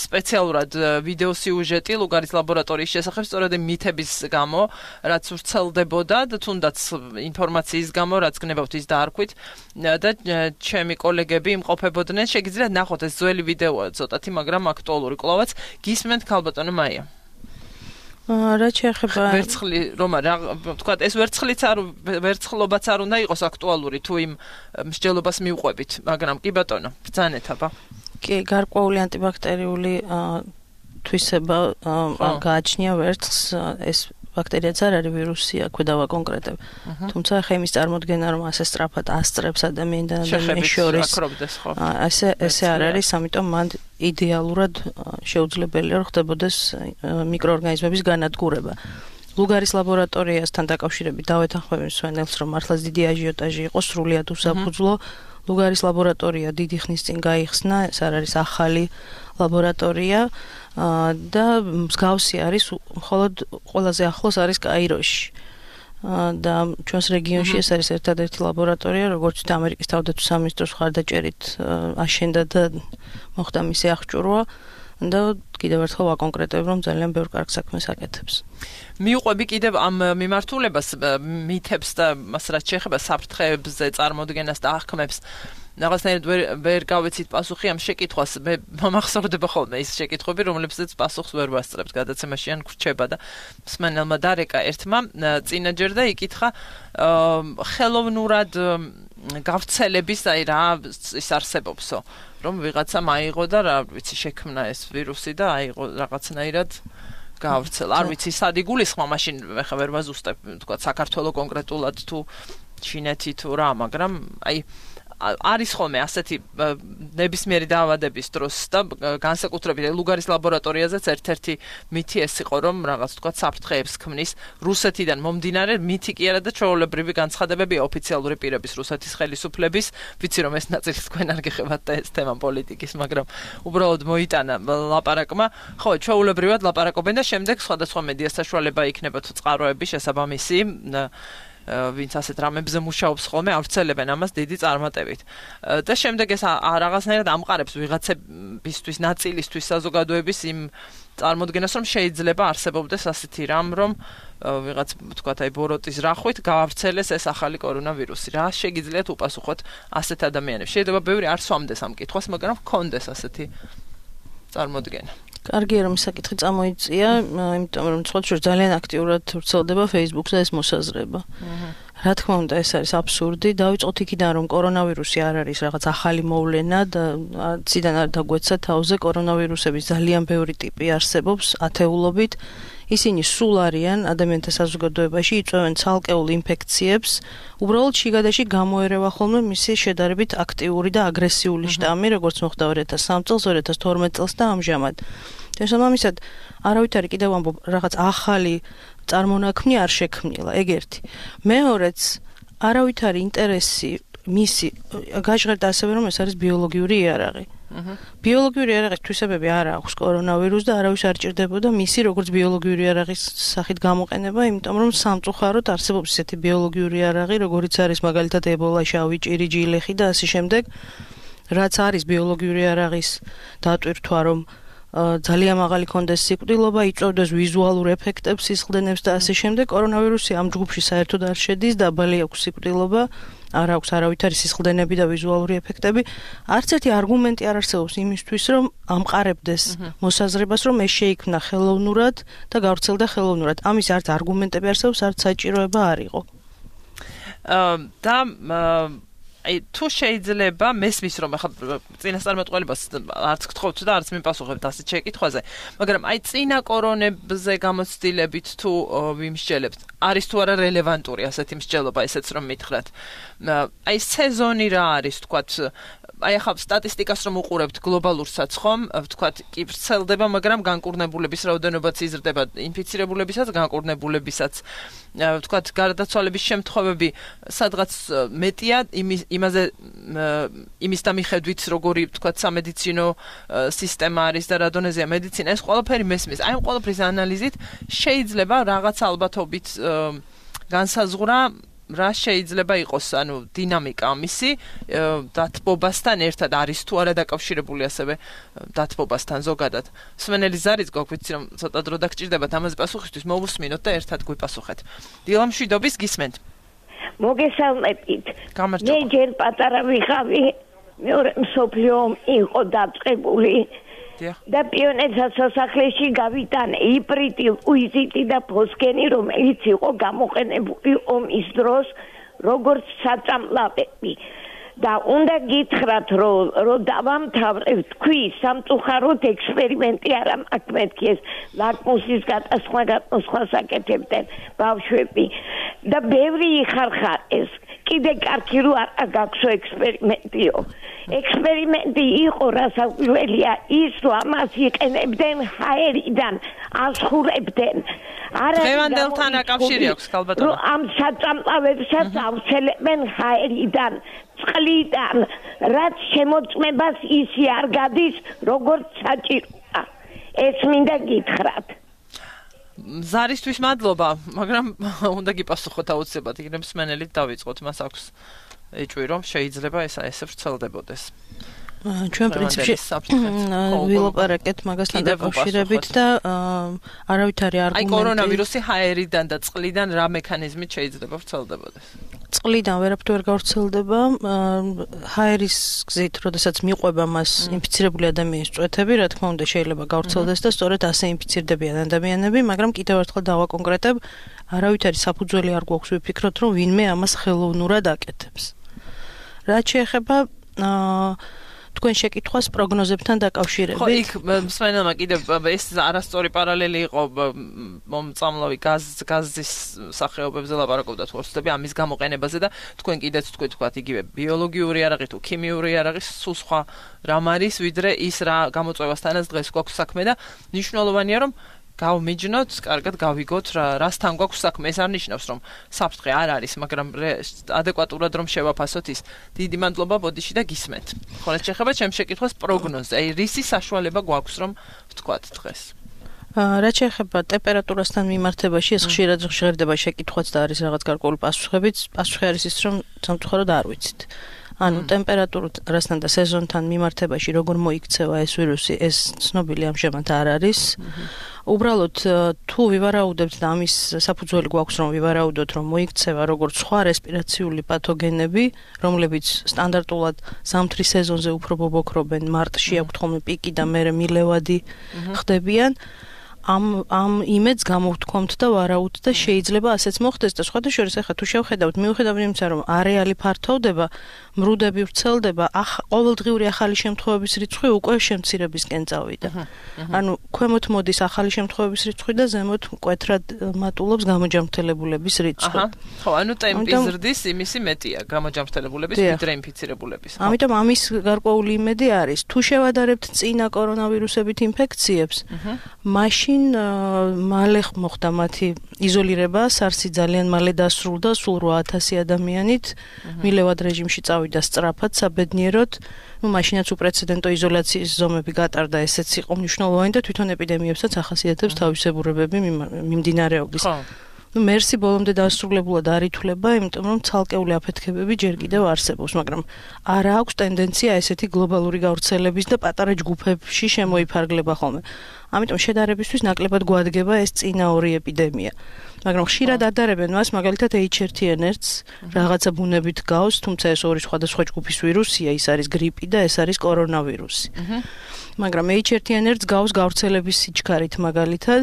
სპეციალურად ვიდეო სიუჟეტი ლუგარის ლაბორატორიის შესახებ სწორედ მითების გამო რაც ვრცელდებოდა და თუნდაც ინფორმაციის გამო რაც გნებავთ ის დაარქვით და ჩემი კოლეგები იმყოფებოდნენ შეგიძლიათ ნახოთ ეს ძველი ვიდეოა ცოტათი მაგრამ აქტუალური კლავაც გისმენთ ქალბატონო მაია რა შეეხება ვერცხლი რომ რა თქვა ეს ვერცხლობაც არ უნდა იყოს აქტუალური თუ იმ მსჯელობას მიუყვებით მაგრამ კი ბატონო ბრძანეთ აბა კი გარკვეული ანტიბაქტერიული თვისება გააჩნია ვერცხლს ეს ბაქტერიაც არ არის ვირუსი აქვე დავაკონკრეტებ თუმცა ხა იმის წარმოქმნა რომ ასე სწრაფად ასწრებს ადამიანს და ადამიანის შორის ესე არ არის ამიტომ მან იდეალურად შეუძლებელია რომ ხდებოდეს მიკროორგანიზმების განადგურება ლუგარის ლაბორატორიასთან დაკავშირებით დავეთანხმები მსვენელს რომ მართლაც დიდი აჟიოტაჟი იყო სრულიად უსაფუძვლო ლუგარის ლაბორატორია დიდი ხნის წინ გაიხსნა ეს არ არის ახალი ლაბორატორია და მსგავსი არის მხოლოდ ყველაზე ახლოს არის კაიროში და ჩვენს რეგიონში ეს არის ერთადერთი ლაბორატორია როგორც ამერიკის თავდაცვის სამინისტროს მხარდაჭერით აშენდა და მოხდა მისი აღჭურვა და კიდევ ერთხელ ვაკონკრეტებ რომ ძალიან ბევრ კარგ საქმეს აკეთებს მიუყვები კიდევ ამ მიმართულებას მითებს და მას რაც შეეხება საფრთხეებზე წარმოდგენას და აღქმებს რაღაცნაირად ვერ გავეცით პასუხი ამ შეკითხვას მე მომახსოვრდება ხოლმე ის შეკითხვები რომლებსაც პასუხს ვერ ვასწრებთ გადაცემაში ან გრჩება და მსმენელმა დარეკა ერთმა წინაჯერ და იკითხა ხელოვნურად გავრცელების აი რა ის არსებობსო რომ ვიღაცამ აიღო და რა ვიცი შექმნა ეს ვირუსი და აიღო რაღაცნაირად გავრცელა არ ვიცი სად იგულისხმა მაშინ ხა ვერ ვაზუსტებ თქვა საქართველოს კონკრეტულად თუ ჩინეთი თუ რა მაგრამ აი არის ხოლმე ასეთი ნებისმიერი დაავადების დროს და განსაკუთრებით ლუგარის ლაბორატორიაზეც ერთ-ერთი მითი ეს იყო რომ რაღაც თქვა საფრთხეებს ქმნის რუსეთიდან მომდინარე მითი კი არა და ჩვეულებრივი განცხადებებია ოფიციალური პირების რუსეთის ხელისუფლების ვიცი რომ ეს ნაწილი თქვენ არ გეხებათ და ეს თემა პოლიტიკის მაგრამ უბრალოდ მოიტანა ლაპარაკმა ხო ჩვეულებრივად ლაპარაკობენ და შემდეგ სხვადასხვა მედია საშუალება იქნება თუ წყაროები შესაბამისი ვინც ასეთ რამებზე მუშაობს ხოლმე ავრცელებენ ამას დიდი წარმატებით და შემდეგ ეს რაღაცნაირად ამყარებს ვიღაცებისთვის ნაწილისთვის საზოგადოების იმ წარმოდგენას რომ შეიძლება არსებობდეს ასეთი რამ რომ ვიღაც თქვათ აი ბოროტის რახვით გაავრცელეს ეს ახალი კორონავირუსი რა შეგიძლიათ უპასუხოთ ასეთ ადამიანებს შეიძლება ბევრი არ სვამდეს ამ კითხვას მაგრამ ჰქონდეს ასეთი წარმოდგენა კარგია რომ საკითხი წამოიწია, იმიტომ რომ ცხოვრებაში ძალიან აქტიურად ვრცელდება Facebook-ზე ეს მოსაზრება. რა თქმა უნდა, ეს არის აბსურდი. დავიწყოთ იქიდან, რომ კორონავირუსი არ არის რაღაც ახალი მოვლენა და ციდან არ დაგვეცა თავზე კორონავირუსების ძალიან ბევრი ტიპი არსებობს ათეულობით. ისინი სულ არიან ადამიანთა საზოგადოებაში, იწვევენ ცალკეულ ინფექციებს. უბრალოდ შიგადაში გამოერევა ხოლმე მისი შედარებით აქტიური და აგრესიული შტამი, როგორც მოხდა 2003 წელს, 2012 წელს და ამჟამად. შესაბამისად, არავითარი კიდევ ამბობ, რაღაც ახალი წარმონაქმნი არ შექმნილა, ეგ ერთი. მეორეც, არავითარი ინტერესი მისი გაჟღერდა ასევე რომ ეს არის ბიოლოგიური იარაღი. ბიოლოგიური იარაღის თვისებები არ აქვს კორონავირუსს და არავის არ ჭირდებოდა მისი როგორც ბიოლოგიური იარაღის სახით გამოყენება, იმიტომ რომ სამწუხაროდ არსებობს ესეთი ბიოლოგიური იარაღი, როგორიც არის მაგალითად ებოლა, შავი ჭირი, ჯილეხი და ასე შემდეგ, რაც არის ბიოლოგიური იარაღის დატვირთვა, რომ ძალიან მაღალი კონდეს სიკვდილობა, იწვევდეს ვიზუალურ ეფექტებს, სისხლდენებს და ასე შემდეგ. კორონავირუსი ამ ჯგუფში საერთოდ არ შედის, დაბალი აქვს სიკვდილობა, არ აქვს არავითარი სისხლდენები და ვიზუალური ეფექტები. არც ერთი არგუმენტი არ არსებობს იმისთვის, რომ ამყარებდეს მოსაზრებას, რომ ეს შეიქმნა ხელოვნურად და გავრცელდა ხელოვნურად. ამის არც არგუმენტები არსებობს, არც საჭიროება არ იყო. და აი თუ შეიძლება მესმის რომ ახლა წინასწარმეტყველებას არც გთხოვთ და არც მიპასუხებთ ასეთ შეკითხვაზე, მაგრამ აი წინა კორონებზე გამოცდილებით თუ ვიმსჯელებთ, არის თუ არა რელევანტური ასეთი მსჯელობა, ესეც რომ მითხრათ. აი სეზონი რა არის, თქვათ, აი ახლა სტატისტიკას რომ უყურებთ გლობალურსაც ხომ, ვთქვათ, კი ვრცელდება, მაგრამ განკურნებულების რაოდენობაც იზრდება, ინფიცირებულებისაც, განკურნებულებისაც, ვთქვათ, გარდაცვალების შემთხვევები სადღაც მეტია იმის და მიხედვით როგორი, ვთქვათ, სამედიცინო სისტემა არის და რა დონეზეა მედიცინა, ეს ყველაფერი მესმის. აი ამ ყველაფრის ანალიზით შეიძლება რაღაც ალბათობით განსაზღვრა რა შეიძლება იყოს, ანუ დინამიკა ამისი დათბობასთან ერთად არის თუ არა დაკავშირებული ასევე დათბობასთან ზოგადად. მსმენელი ზარიც გვაქვს, რომ ცოტა დრო დაგჭირდებათ ამაზე პასუხისთვის, მოვუსმინოთ და ერთად გვიპასუხეთ. დილა მშვიდობის, გისმენთ. მოგესალმებით. მე ჯერ პატარა ვიყავი, მეორე მსოფლიო ომი იყო დაწყებული. და პიონერთა სასახლეში გავიტანე იბრიტი, უიზიტი და ფოსგენი, რომელიც იყო გამოყენებული ომის დროს როგორც საწამლავები. და უნდა გითხრათ, რომ დავამთავრებ თქვი სამწუხაროდ ექსპერიმენტი არა მაქვს მეთქი ეს ლაკმუსის გადასხმა საკეთებდნენ ბავშვები და ბევრი იხარხარეს. კიდე კარგი რო არ გაქვსო ექსპერიმენტიო. ექსპერიმენტი იყო რასაკვირველია ის, რომ ამას იყენებდნენ ჰაერიდან, ასხურებდნენ. დღევანდელთან აკავშირი აქვს ქალბატონო. რომ ამ საწამლავებსაც ავრცელებენ ჰაერიდან, წყლიდან, რაც შემოწმებას ისი არ გადის, როგორც საჭიროა. ეს მინდა გითხრათ. ზარისთვის მადლობა, მაგრამ უნდა გიპასუხოთ აუცილებლად, იქნებ მსმენელით დავიწყოთ, მას აქვს ეჭვი რომ შეიძლება ესე ვრცელდებოდეს. ჩვენ პრინციპში ვილაპარაკეთ მაგასთან დაკავშირებით და არავითარი არგუმენტი. აი კორონავირუსი ჰაერიდან და წყლიდან რა მექანიზმით შეიძლება ვრცელდებოდეს? წყლიდან ვერაფერი ვერ გავრცელდება. ჰაერის გზით, როდესაც მიყვება მას ინფიცირებული ადამიანის წვეთები, რა თქმა უნდა შეიძლება გავრცელდეს და სწორედ ასე ინფიცირდებიან ადამიანები, მაგრამ კიდევ ერთხელ დავაკონკრეტებ, არავითარი საფუძველი არ გვაქვს ვიფიქროთ, რომ ვინმე ამას ხელოვნურად აკეთებს. რაც შეეხება თქვენ შეკითხვას პროგნოზებთან დაკავშირებით. ხო, იქ მსმენელმა კიდევ ეს არასწორი პარალელი იყო მომწამლავი გაზის სახეობებზე ლაპარაკობდა თუ ხსნები ამის გამოყენებაზე და თქვენ კიდეც თქვით იგივე ბიოლოგიური იარაღი თუ ქიმიური იარაღი სულ სხვა რამ არის ვიდრე ის რა გამოწვევასთანაც დღეს გვაქვს საქმე და მნიშვნელოვანია რომ გავმიჯნოთ, კარგად გავიგოთ რასთან გვაქვს საქმე. ეს არ ნიშნავს რომ საფრთხე არ არის, მაგრამ ადეკვატურად რომ შევაფასოთ ის. დიდი მადლობა ბოდიში და გისმენთ. ხო, რაც შეეხება ჩემ შეკითხვას პროგნოზზე, აი რისი საშუალება გვაქვს რომ ვთქვათ დღეს. რაც შეეხება ტემპერატურასთან მიმართებაში, ეს ხშირად ჟღერდება შეკითხვაც და არის რაღაც გარკვეული პასუხებიც. პასუხი არის ის, რომ სამწუხაროდ არ ვიცით. ანუ ტემპერატურასთან და სეზონთან მიმართებაში როგორ მოიქცევა ეს ვირუსი, ეს ცნობილი ამჟამად არ არის. უბრალოდ თუ ვივარაუდებთ და ამის საფუძველი გვაქვს რომ ვივარაუდოთ რომ მოიქცევა როგორც სხვა რესპირაციული პათოგენები, რომლებიც სტანდარტულად ზამთრის სეზონზე უფრო ბობოქრობენ, მარტში აქვთ ხოლმე პიკი და მერე მილევადი ხდებიან. ამ იმედს გამოვთქვამთ და ვარაუდთ და შეიძლება ასეც მოხდეს და სხვათა შორის ახლა თუ შევხედავთ, მიუხედავად იმისა რომ არეალი ფართოვდება, მრუდები ვრცელდება, ყოველდღიური ახალი შემთხვევების რიცხვი უკვე შემცირებისკენ წავიდა. ანუ ქვემოთ მოდის ახალი შემთხვევების რიცხვი და ზემოთ მკვეთრად მატულობს გამოჯანმრთელებულების რიცხვი. ხო, ანუ ტემპი ზრდის, იმისი მეტია გამოჯანმრთელებულების ვიდრე ინფიცირებულების. ამიტომ ამის გარკვეული იმედი არის. თუ შევადარებთ წინა კორონავირუსებით ინფექციებს, მაშინ მალე მოხდა მათი იზოლირება, SARS-ი ძალიან მალე დასრულდა, სულ 8000 ადამიანით, მილევად რეჟიმში წავიდა სწრაფად, საბედნიეროდ, მაშინაც უპრეცედენტო იზოლაციის ზომები გატარდა, ესეც იყო მნიშვნელოვანი და თვითონ ეპიდემიებსაც ახასიათებს თავისებურებები მიმდინარეობის. მერსი ბოლომდე დასრულებულად არ ითვლება, იმიტომ რომ ცალკეული აფეთქებები ჯერ კიდევ არსებობს, მაგრამ არ აქვს ტენდენცია ესეთი გლობალური გავრცელების და პატარა ჯგუფებში შემოიფარგლება ხოლმე. ამიტომ შედარებისთვის ნაკლებად გვადგება ეს წინა ორი ეპიდემია. მაგრამ ხშირად ადარებენ მას, მაგალითად H1N1-ს რაღაცა ბუნებით გავს, თუმცა ეს ორი სხვადასხვა ჯგუფის ვირუსია, ის არის გრიპი და ეს არის კორონავირუსი. მაგრამ H1N1-ს გავს გავრცელების სიჩქარით მაგალითად,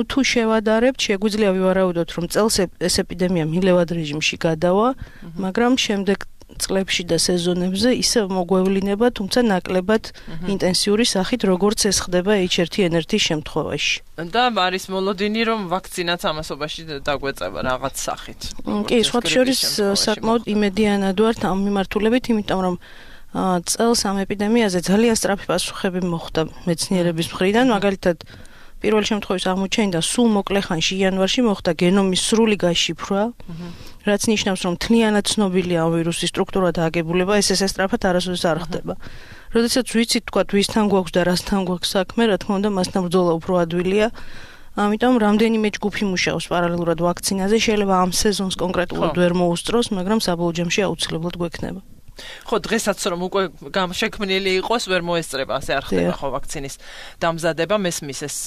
თუ შევადარებთ, შეგვიძლია ვივარაუდოთ, რომ წელს ეს ეპიდემია მილევად რეჟიმში გადავა, მაგრამ შემდეგ წლებში და სეზონებზე ისევ მოგვევლინება, თუმცა ნაკლებად ინტენსიური სახით, როგორც ეს ხდება H1N1-ის შემთხვევაში. და არის მოლოდინი, რომ ვაქცინაც ამასობაში დაგვეწევა რაღაც სახით. კი, სხვათა შორის საკმაოდ იმედიანად ვართ ამ მიმართულებით, იმიტომ რომ წელს ამ ეპიდემიაზე ძალიან სწრაფი პასუხები მოხდა მეცნიერების მხრიდან, მაგალითად პირველი შემთხვევის აღმოჩენიდან სულ მოკლე ხანში იანვარში მოხდა გენომის სრული გაშიფრვა, რაც ნიშნავს, რომ თლიანად ცნობილია ამ ვირუსის სტრუქტურა და აგებულება, ეს სწრაფად არასოდეს არ ხდება. როდესაც ვიცით, თქვათ, ვისთან გვაქვს და რასთან გვაქვს საქმე, რა თქმა უნდა, მასთან ბრძოლა უფრო ადვილია. ამიტომ რამდენიმე ჯგუფი მუშაობს პარალელურად ვაქცინაზე, შეიძლება ამ სეზონს კონკრეტულად ვერ მოუსწროს, მაგრამ საბოლოო ჯამში აუცილებლად გვექნება. ხო, დღესაც რომ უკვე შექმნილი იყოს, ვერ მოესწრება, ასე არ ხდება ხო ვაქცინის დამზადება, მესმის ეს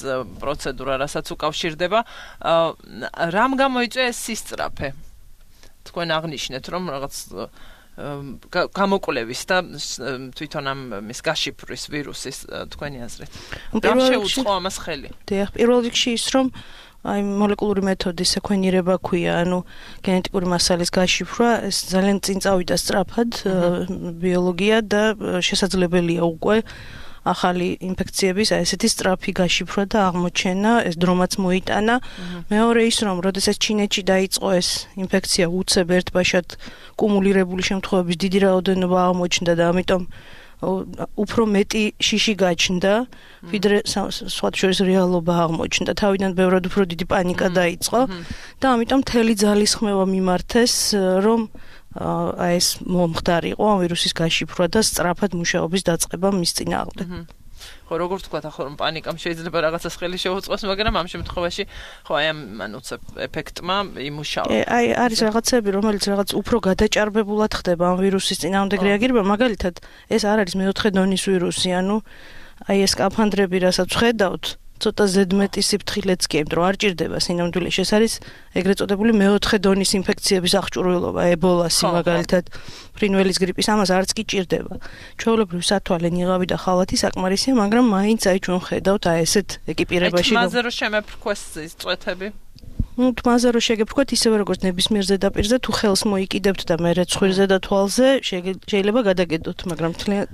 პროცედურა, რასაც უკავშირდება. რამ გამოიწვია ეს სისწრაფე? თქვენ აღნიშნეთ, რომ რაღაც გამოკვლევის და თვითონ ამ მის გაშიფრვის ვირუსის თქვენი აზრით. რამ შეუწყო ამას ხელი? დიახ, პირველ რიგში ის, რომ აი მოლეკულური მეთოდის სეკვენირება ქვია, ანუ გენეტიკური მასალის გაშიფრვა, ეს ძალიან წინ წავიდა სწრაფად ბიოლოგია და შესაძლებელია უკვე ახალი ინფექციების ესეთი სწრაფი გაშიფრვა და აღმოჩენა, ეს დრომაც მოიტანა. მეორე ის, რომ როდესაც ჩინეთში დაიწყო ეს ინფექცია უცებ ერთბაშად კუმულირებული შემთხვევების დიდი რაოდენობა აღმოჩნდა და ამიტომ უფრო მეტი შიში გაჩნდა, ვიდრე სხვა შორის რეალობა აღმოჩნდა. თავიდან ბევრად უფრო დიდი პანიკა დაიწყო და ამიტომ მთელი ძალისხმევა მიმართეს, რომ ეს მომხდარიყო ამ ვირუსის გაშიფრვა და სწრაფად მუშაობის დაწყება მის წინააღმდეგ. ხო, როგორ თქვა, ახლა რომ პანიკამ შეიძლება რაღაცას ხელი შეუწყოს, მაგრამ ამ შემთხვევაში ხო აი ამ უცებ ეფექტმა იმუშავა. აი არის რაღაცები, რომელიც რაღაც უფრო გადაჭარბებულად ხდება ამ ვირუსის წინააღმდეგ რეაგირება, მაგალითად, ეს არ არის მეოთხე დონის ვირუსი, ანუ აი ეს სკაფანდრები, რასაც ხედავთ, ცოტა ზედმეტი სიფრთხილეც კი, იმიტომ რომ არ ჭირდება სინამდვილეში. ეს არის ეგრეთ წოდებული მეოთხე დონის ინფექციების აღჭურვილობა, ებოლასი მაგალითად, ფრინველის გრიპის, ამას არც კი ჭირდება. ჩვეულებრივ სათვალე ნიღავი და ხალათი საკმარისია, მაგრამ მაინც აი ჩვენ ხედავთ აი ესეთ ეკიპირებაში. აი თმაზე რო შემეფრქვეს ის წვეთები. თმაზე რო შეგეფრქვათ, ისევე როგორც ნებისმიერ ზედაპირზე, თუ ხელს მოიკიდებთ და მე ცხვირზე და თვალზე, შეიძლება გადაგედოთ, მაგრამ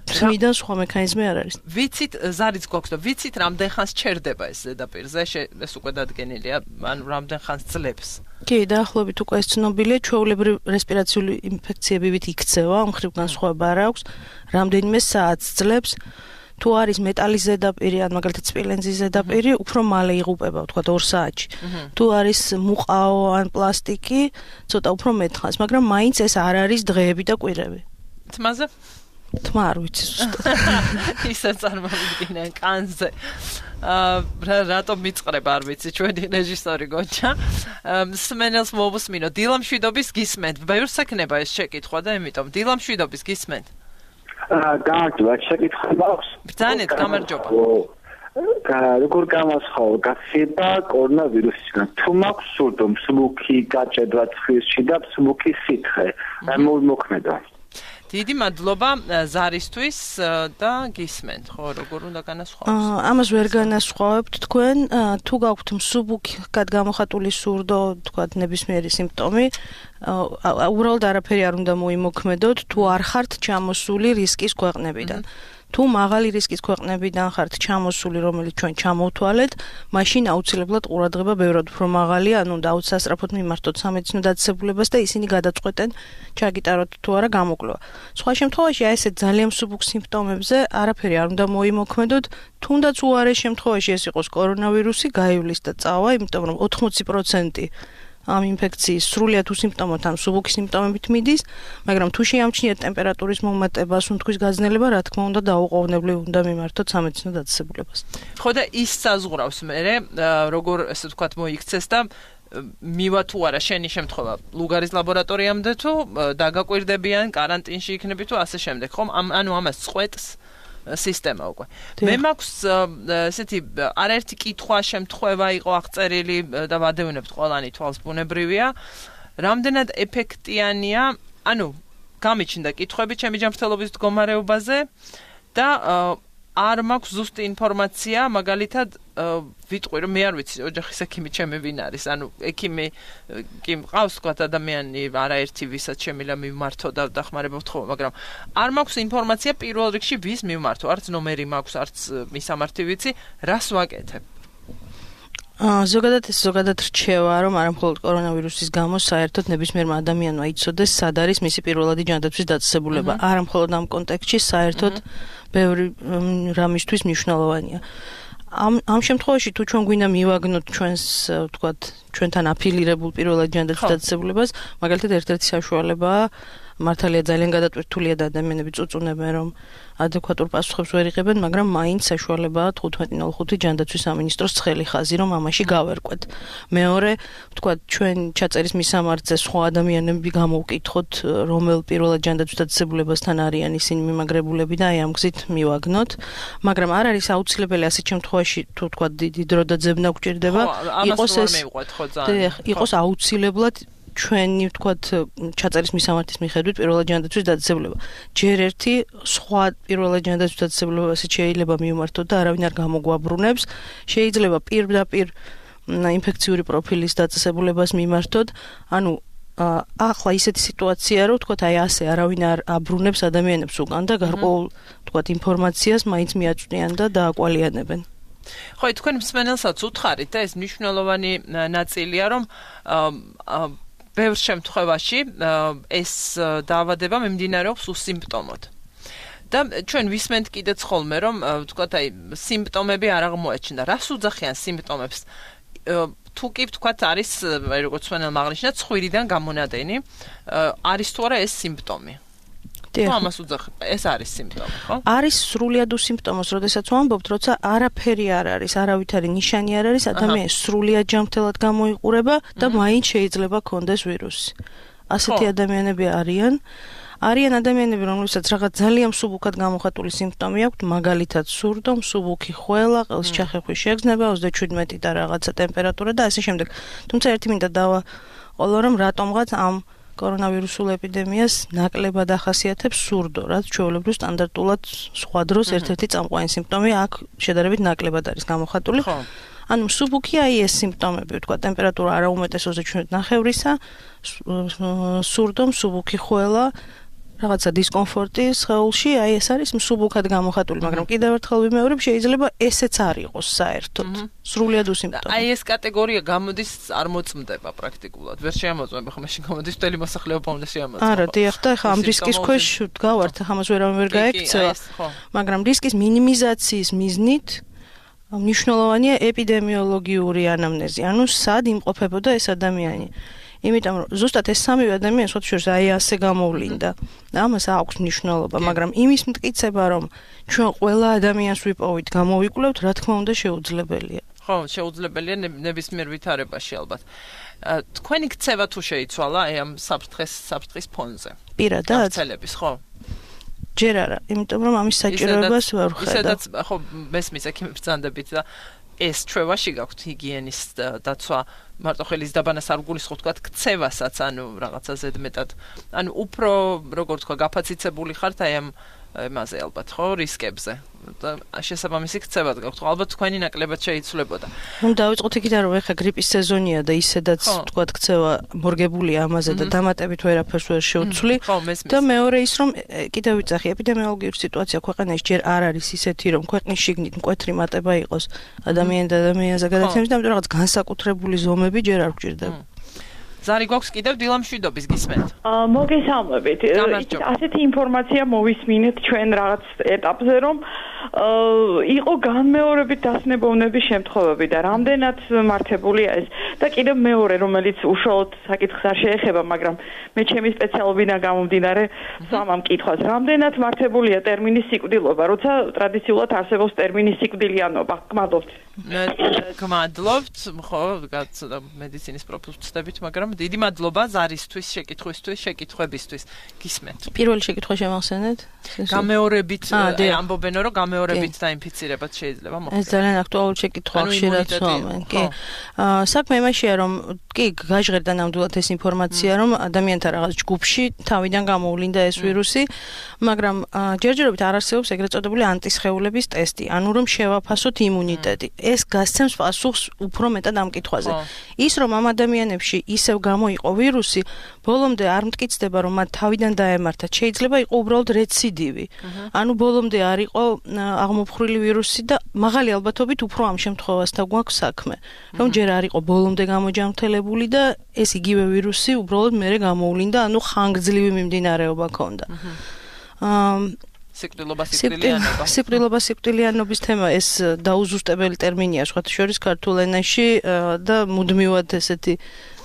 თმიდან სხვა მექანიზმი არ არის. ვიცით, ზარიც გვაქვს და ვიცით, რამდენ ხანს ჩერდება ეს ზედაპირზე, ეს უკვე დადგენილია, ან რამდენ ხანს ძლებს. კი, დაახლოებით უკვე ეს ცნობილია, ჩვეულებრივ რესპირაციული ინფექციებივით იქცევა, ამ ხრივ განსხვავება არ აქვს, რამდენიმე საათს ძლებს. თუ არის მეტალის ზედაპირი, ან მაგალითად სპილენძის ზედაპირი, უფრო მალე იღუპება, ვთქვათ 2 საათში. თუ არის მუყაო ან პლასტიკი, ცოტა უფრო მეტხანს, მაგრამ მაინც ეს არ არის დღეები და კვირები. თმაზე? თმა არ ვიცი ზუსტად. ისე წარმოვიდგინე კანზე. რატომ მიწყრება, არ ვიცი, ჩვენი რეჟისორი გონჩა. სმენელს მოვუსმინო, დილამშვიდობის გისმენთ. ბევრს ეკნება ეს შეკითხვა და ამიტომ დილამშვიდობის გისმენთ. გამარჯობა, შეკითხვა მაქვს. ბრძანეთ, გამარჯობა. როგორ გამოსხავ გაცემა კორონავირუსისგან? თუ მაქვს სურდო, მსუბუქი გაჭედვა ცხისში და მსუბუქი სითხე, მოქმედა. დიდი მადლობა ზარისთვის და გისმენთ, ხო, როგორ უნდა განასხვავოს? ამას ვერ განასხვავებთ თქვენ, თუ გაქვთ მსუბუქად გამოხატული სურდო, თქვათ ნებისმიერი სიმპტომი, უბრალოდ არაფერი არ უნდა მოიმოქმედოთ, თუ არ ხართ ჩამოსული რისკის ქვეყნებიდან. თუ მაღალი რისკის ქვეყნებიდან ხართ ჩამოსული, რომელიც ჩვენ ჩამოვთვალეთ, მაშინ აუცილებლად ყურადღება ბევრად უფრო მაღალია, ანუ უნდა აუცილებლად მიმართოთ სამედიცინო დაწესებულებას და ისინი გადაწყვეტენ, ჩაგიტაროთ თუ არა გამოკვლევა. სხვა შემთხვევაში აი ესეთ ძალიან მსუბუქ სიმპტომებზე არაფერი არ უნდა მოიმოქმედოთ, თუნდაც უარეს შემთხვევაში ეს იყოს კორონავირუსი, გაივლის და წავა, იმიტომ რომ 80% ამ ინფექციის სრულიად უსიმპტომოთ ან მსუბუქი სიმპტომებით მიდის, მაგრამ თუ შეამჩნიათ ტემპერატურის მომატება, სუნთქვის გაძნელება, რა თქმა უნდა, დაუყოვნებლივ უნდა მიმართოთ სამედიცინო დაწესებულებას. ხო და ის საზღვრავს მე, როგორ ესე ვთქვათ მოიქცეს და მივა თუ არა შენი შემთხვევა ლუგარის ლაბორატორიამდე თუ დაგაკვირდებიან, კარანტინში იქნები თუ ასე შემდეგ, ხომ? ანუ ამას წყვეტს სისტემა უკვე. მე მაქვს ესეთი არაერთი კითხვა შემთხვევა იყო აღწერილი და ვადევნებთ ყველანი თვალს ბუნებრივია. რამდენად ეფექტიანია, ანუ გამიჩნდა კითხვები ჩემი ჯანმრთელობის მდგომარეობაზე და არ მაქვს ზუსტი ინფორმაცია, მაგალითად ვიტყვი რომ მე არ ვიცი ოჯახის ექიმი ჩემი ვინ არის, ანუ ექიმი კი მყავს თქვა ადამიანი არაერთი ვისაც შემიძლია მივმართო და დახმარებოთ ხო, მაგრამ არ მაქვს ინფორმაცია პირველ რიგში ვის მივმართო, არც ნომერი მაქვს, არც მისამართი ვიცი, რას ვაკეთებ. ზოგადად რჩევა რომ არამხოლოდ კორონავირუსის გამო საერთოდ ნებისმიერმა ადამიანმა იცოდეს სად არის მისი პირველადი ჯანდაცვის დაწესებულება. არამხოლოდ ამ კონტექსტში საერთოდ ბევრი რამისთვის მნიშვნელოვანია. ამ შემთხვევაში თუ ჩვენ გვინდა მივაგნოთ ჩვენს ვთქვათ ჩვენთან აფილირებულ პირველად ჯანდაცვის დაწესებულებას, მაგალითად ერთ-ერთი საშუალებაა მართალია ძალიან გადატვირთულია და ადამიანები წუწუნებენ რომ ადეკვატურ პასუხებს ვერ იღებენ, მაგრამ მაინც საშუალებაა 15.05 ჯანდაცვის სამინისტროს ცხელი ხაზი რომ ამაში გავერკვეთ. მეორე, ვთქვათ, ჩვენ ჩაწერის მისამართზე სხვა ადამიანები გამოვკითხოთ, რომელ პირველად ჯანდაცვის დაწესებულებასთან არიან ისინი მიმაგრებულები და აი ამ გზით მივაგნოთ, მაგრამ არ არის აუცილებელი ასეთ შემთხვევაში თუ ვთქვათ დიდი დრო და ძებნა გვჭირდება, იყოს აუცილებლად ჩვენი ვთქვათ ჩაწერის მისამართის მიხედვით პირველად ჯანდაცვის დაწესებულება. ჯერ ერთი სხვა პირველად ჯანდაცვის დაწესებულებას შეიძლება მივმართოთ და არავინ არ გამოგვაბრუნებს. შეიძლება პირდაპირ ინფექციური პროფილის დაწესებულებას მიმართოთ. ანუ ახლა ისეთი სიტუაცია რომ ვთქვათ აი ასე არავინ არ აბრუნებს ადამიანებს უკან და გარკვეულ ვთქვათ ინფორმაციას მაინც მიაწვდიან და დააკვალიანებენ. ხო, თქვენ მსმენელსაც უთხარით და ეს მნიშვნელოვანი ნაწილია რომ ბევრ შემთხვევაში ეს დაავადება მიმდინარეობს უსიმპტომოდ. და ჩვენ ვისმენთ კიდეც ხოლმე რომ ვთქვათ აი სიმპტომები არ აღმოაჩნდა. რას უძახიან სიმპტომებს? თუ კი ვთქვათ არის როგორც მენელმა აღნიშნა ცხვირიდან გამონადენი, არის თუ არა ეს სიმპტომი? ამას უძახებ, ეს არის სიმპტომი, ხო? არის სრულად უსიმპტომოს, როდესაც ვამბობთ, როცა არაფერი არ არის, არავითარი ნიშანი არ არის, ადამიანი სრულად ჯანმრთელად გამოიყურება და მაინც შეიძლება კონდეს ვირუსი. ასეთი ადამიანები არიან ადამიანები, რომლებსაც რაღაც ძალიან მსუბუქად გამოხატული სიმპტომი აქვთ, მაგალითად სურდო, მსუბუქი ხველა, ყელს ჩახეხვის შეგრძნება, 37 და რაღაცა ტემპერატურა და ასე შემდეგ. თუმცა ერთი მინდა დავაყოლო, რომ რატომღაც ამ კორონავირუსულ ეპიდემიას ნაკლებად ახასიათებს სურდო, რაც ჩვეულებრივ სტანდარტულად სხვა დროს ერთ-ერთი წამყვანი სიმპტომია, აქ შედარებით ნაკლებად არის გამოხატული. ანუ მსუბუქი აი ეს სიმპტომები, ვთქვათ, ტემპერატურა არაუმეტეს 37.5-ისა, სურდო, მსუბუქი ხველა, რაღაცა დისკომფორტი სხეულში, აი ეს არის მსუბუქად გამოხატული, მაგრამ კიდევ ერთხელ ვიმეორებ, შეიძლება ესეც არ იყოს საერთოდ. სრულად უსიმპტომო. აი ეს კატეგორია გამოდის არ მოწმდება პრაქტიკულად. ვერ შეამოწმება, ხო მაშინ გამოდის მთელი მოსახლეობა უნდა შეამოწმება. არა, დიახ, და ხა ამ რისკის ქვეშ ვდგავართ, ამას ვერავინ ვერ გაექცევა. მაგრამ რისკის მინიმიზაციის მიზნით მნიშვნელოვანია ეპიდემიოლოგიური ანამნეზი, ანუ სად იმყოფებოდა ეს ადამიანი. იმიტომ რომ ზუსტად ეს სამივე ადამიანი სხვა შორის აი ასე გამოვლინდა. ამას აქვს მნიშვნელობა, მაგრამ იმის მტკიცება რომ ჩვენ ყველა ადამიანს ვიპოვით, გამოვიკვლევთ, რა თქმა უნდა შეუძლებელია. ხო, შეუძლებელია ნებისმიერ ვითარებაში ალბათ. თქვენი ქცევა თუ შეიცვალა აი ამ საფრთხის ფონზე? პირადად? გავრცელების, ხო? ჯერ არა, იმიტომ რომ ამის საჭიროებას ვერ ვხედავ. ისედაც ხო მესმის ექიმებს ბრძანდებით და ეს ჩვევაში გაქვთ ჰიგიენის დაცვა, მარტო ხელის დაბანას არ გულისხმობთ, თქვათ, ქცევასაც, ანუ რაღაცა ზედმეტად, ანუ უფრო როგორ თქვა, გაფაციცებული ხართ აი ამ იმაზე ალბათ, ხო, რისკებზე. და შესაბამისი ქცევაც გაქვთ, ხო, ალბათ თქვენი ნაკლებად შეიცვლებოდა. ნუ დავიწყოთ იქიდან, რომ ეხა გრიპის სეზონია და ისედაც თქვათ, ქცევა მორგებულია ამაზე და დამატებით ვერაფერს ვერ შევცვლი. და მეორე ის, რომ კიდევ ვიძახი, ეპიდემიოლოგიური სიტუაცია ქვეყანაში ჯერ არ არის ისეთი, რომ ქვეყნის შიგნით მკვეთრი მატება იყოს ადამიანი და ადამიანზე გადაცემის და ამიტომ რაღაც განსაკუთრებული ზომები ჯერ არ გვჭირდება. ზარი გვაქვს კიდევ დილამშვიდობის გისმენთ. მოგესალმებით. ასეთი ინფორმაცია მოვისმინეთ ჩვენ რაღაც ეტაპზე, რომ იყო განმეორებით დასნებოვნების შემთხვევები და რამდენად მართებულია ეს და კიდევ მეორე რომელიც უშუალოდ საკითხს არ შეეხება, მაგრამ მე ჩემი სპეციალობიდან გამომდინარე სვამამ კითხვას, რამდენად მართებულია ტერმინი სიკვდილობა, როცა ტრადიციულად არსებობს ტერმინი სიკვდილიანობა. გმადლობთ. გმადლობთ, ხო, გაცოდა მედიცინის პროფილს ვწდებით, მაგრამ დიდი მადლობა ზარისთვის, შეკითხვებისთვის. გისმენთ. პირველი შეკითხვა შემახსენეთ? გამეორებით ამბობენ, რომ გამეორებით დაინფიცირებაც შეიძლება მოხდეს. ეს ძალიან აქტუალური შეკითხვა ხშირად სვამენ. კი. საქმე იმაშია, რომ კი გაჟღერდა ნამდვილად ეს ინფორმაცია, რომ ადამიანთა რაღაც ჯგუფში თავიდან გამოვლინდა ეს ვირუსი, მაგრამ ჯერჯერობით არ არსებობს ეგრეთ წოდებული ანტისხეულების ტესტი, ანუ რომ შევაფასოთ იმუნიტეტი. ეს გასცემს პასუხს უფრო მეტად ამ კითხვაზე. ის რომ ამ ადამიანებში ისევ გამოიყო ვირუსი, ბოლომდე არ მტკიცდება, რომ მათ თავიდან დაემართათ. შეიძლება იყო უბრალოდ რეციდივი. ანუ ბოლომდე არ იყო აღმოფხრილი ვირუსი და მაღალი ალბათობით უფრო ამ შემთხვევასთან გვაქვს საქმე. რომ ჯერ არ იყო ბოლომდე გამოჯანმრთელებული და ეს იგივე ვირუსი უბრალოდ მერე გამოვლინდა, ანუ ხანგრძლივი მიმდინარეობა ჰქონდა. სიკვდილობა სიკვდილიანობის თემა ეს დაუზუსტებელი ტერმინია სხვათა შორის ქართულ ენაში და მუდმივად ესეთი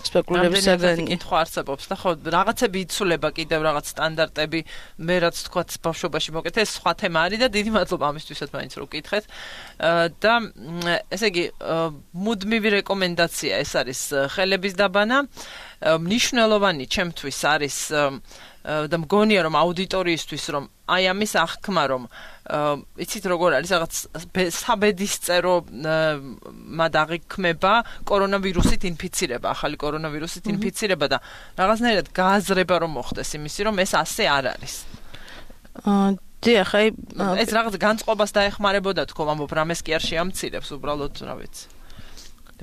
სპეკულირების საგანი კითხვა არსებობს და ხო რაღაცები იცვლება კიდევ რაღაც სტანდარტები მე რაც თქვათ ბავშვობაში მოკეთე ეს სხვა თემა არის და დიდი მადლობა ამისთვისაც მაინც რომ ვკითხეთ და ესე იგი მუდმივი რეკომენდაცია ეს არის ხელების დაბანა მნიშვნელოვანი ჩემთვის არის და მგონია რომ აუდიტორიისთვის რომ აი ამის აღქმა რომ იცით როგორ არის რაღაც საბედისწერო მადაღიქმება კორონავირუსით ინფიცირება ახალი კორონავირუსით ინფიცირება და რაღაცნაირად გააზრება რომ მოხდეს იმისი რომ ეს ასე არ არის დიახ აი ეს რაღაც განწყობას დაეხმარებოდა თქო ამბობ რამეს კი არ შეამცირებს უბრალოდ რა ვიცი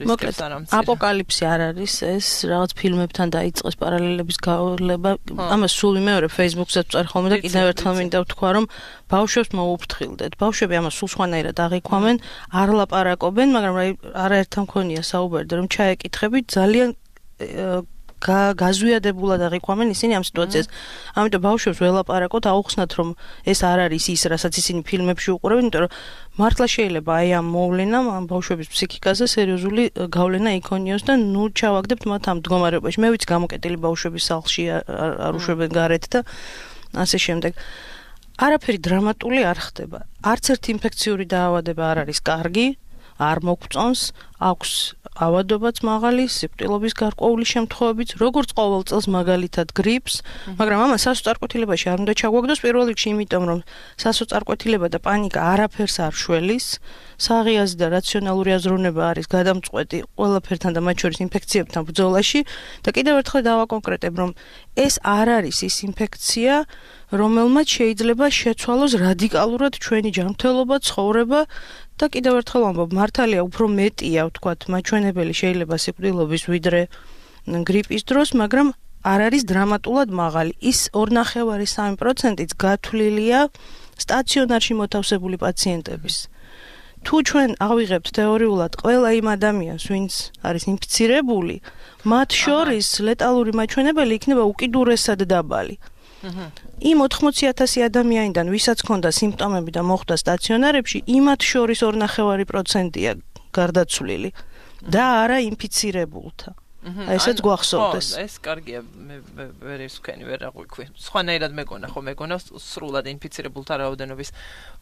მოკლედ აპოკალიფსი არ არის ეს რაღაც ფილმებთან დაიწყეს პარალელების გავლება ამას სულ მეორე Facebook-ზე წარ ხოლმე და კიდევ ერთხელ მინდა ვთქვა რომ ბავშვებს მოუფრთხილდეთ ბავშვები ამას სულ სხვანაირად აღიქვამენ არ ლაპარაკობენ მაგრამ არაერთთან მქონია საუბარი რომ ჩაეკითხებით ძალიან გაზვიადებულად აღიქვამენ ისინი ამ სიტუაციას. ამიტომ ბავშვებს ველაპარაკოთ, აუხსნათ რომ ეს არ არის ის, რასაც ისინი ფილმებში უყურებენ, იმიტომ რომ მართლა შეიძლება აი ამ მოვლენამ ამ ბავშვების ფსიქიკაზე სერიოზული გავლენა იქონიოს და ნუ ჩავაგდებთ მათ ამ მდგომარეობაში. მე ვიცი გამოკეტილი ბავშვების სახლში არ უშვებენ გარეთ და ასე შემდეგ. არაფერი დრამატული არ ხდება. არც ერთი ინფექციური დაავადება არ არის კარგი. არ მოგწონს, აქვს ავადობაც მაღალი, სიკვდილობის გარკვეული შემთხვევებით, როგორც ყოველ წელს მაგალითად გრიპს, მაგრამ ამას სასოწარკვეთილებაში არ უნდა ჩაგვაგდოს პირველ რიგში, იმიტომ რომ სასოწარკვეთილება და პანიკა არაფერს არ შველის, საღიაზი და რაციონალური აზროვნება არის გადამწყვეტი ყველაფერთან და მათ შორის ინფექციებთან ბრძოლაში და კიდევ ერთხელ დავაკონკრეტებ, რომ ეს არ არის ის ინფექცია, რომელმაც შეიძლება შეცვალოს რადიკალურად ჩვენი ჯანმრთელობა, ცხოვრება და კიდევ ერთხელ ვამბობ, მართალია უფრო მეტია, ვთქვათ, მაჩვენებელი შეიძლება სიკვდილობის ვიდრე გრიპის დროს, მაგრამ არ არის დრამატულად მაღალი. ის 2.5-3%-იც გათვლილია სტაციონარში მოთავსებული პაციენტების. თუ ჩვენ ავიღებთ თეორიულად ყველა იმ ადამიანს, ვინც არის ინფიცირებული, მათ შორის ლეტალური მაჩვენებელი იქნება უკიდურესად დაბალი. იმ 80,000 ადამიანიდან, ვისაც ჰქონდა სიმპტომები და მოხვდა სტაციონარებში, იმათ შორის 2.5%-ია გარდაცვლილი და არა ინფიცირებულთა. ესეც გვახსოვდეს. ეს კარგია, მე ვერ ისქენი ვერ აღვიქვი. სხვანაირად მეგონა სრულად ინფიცირებულთა რაოდენობის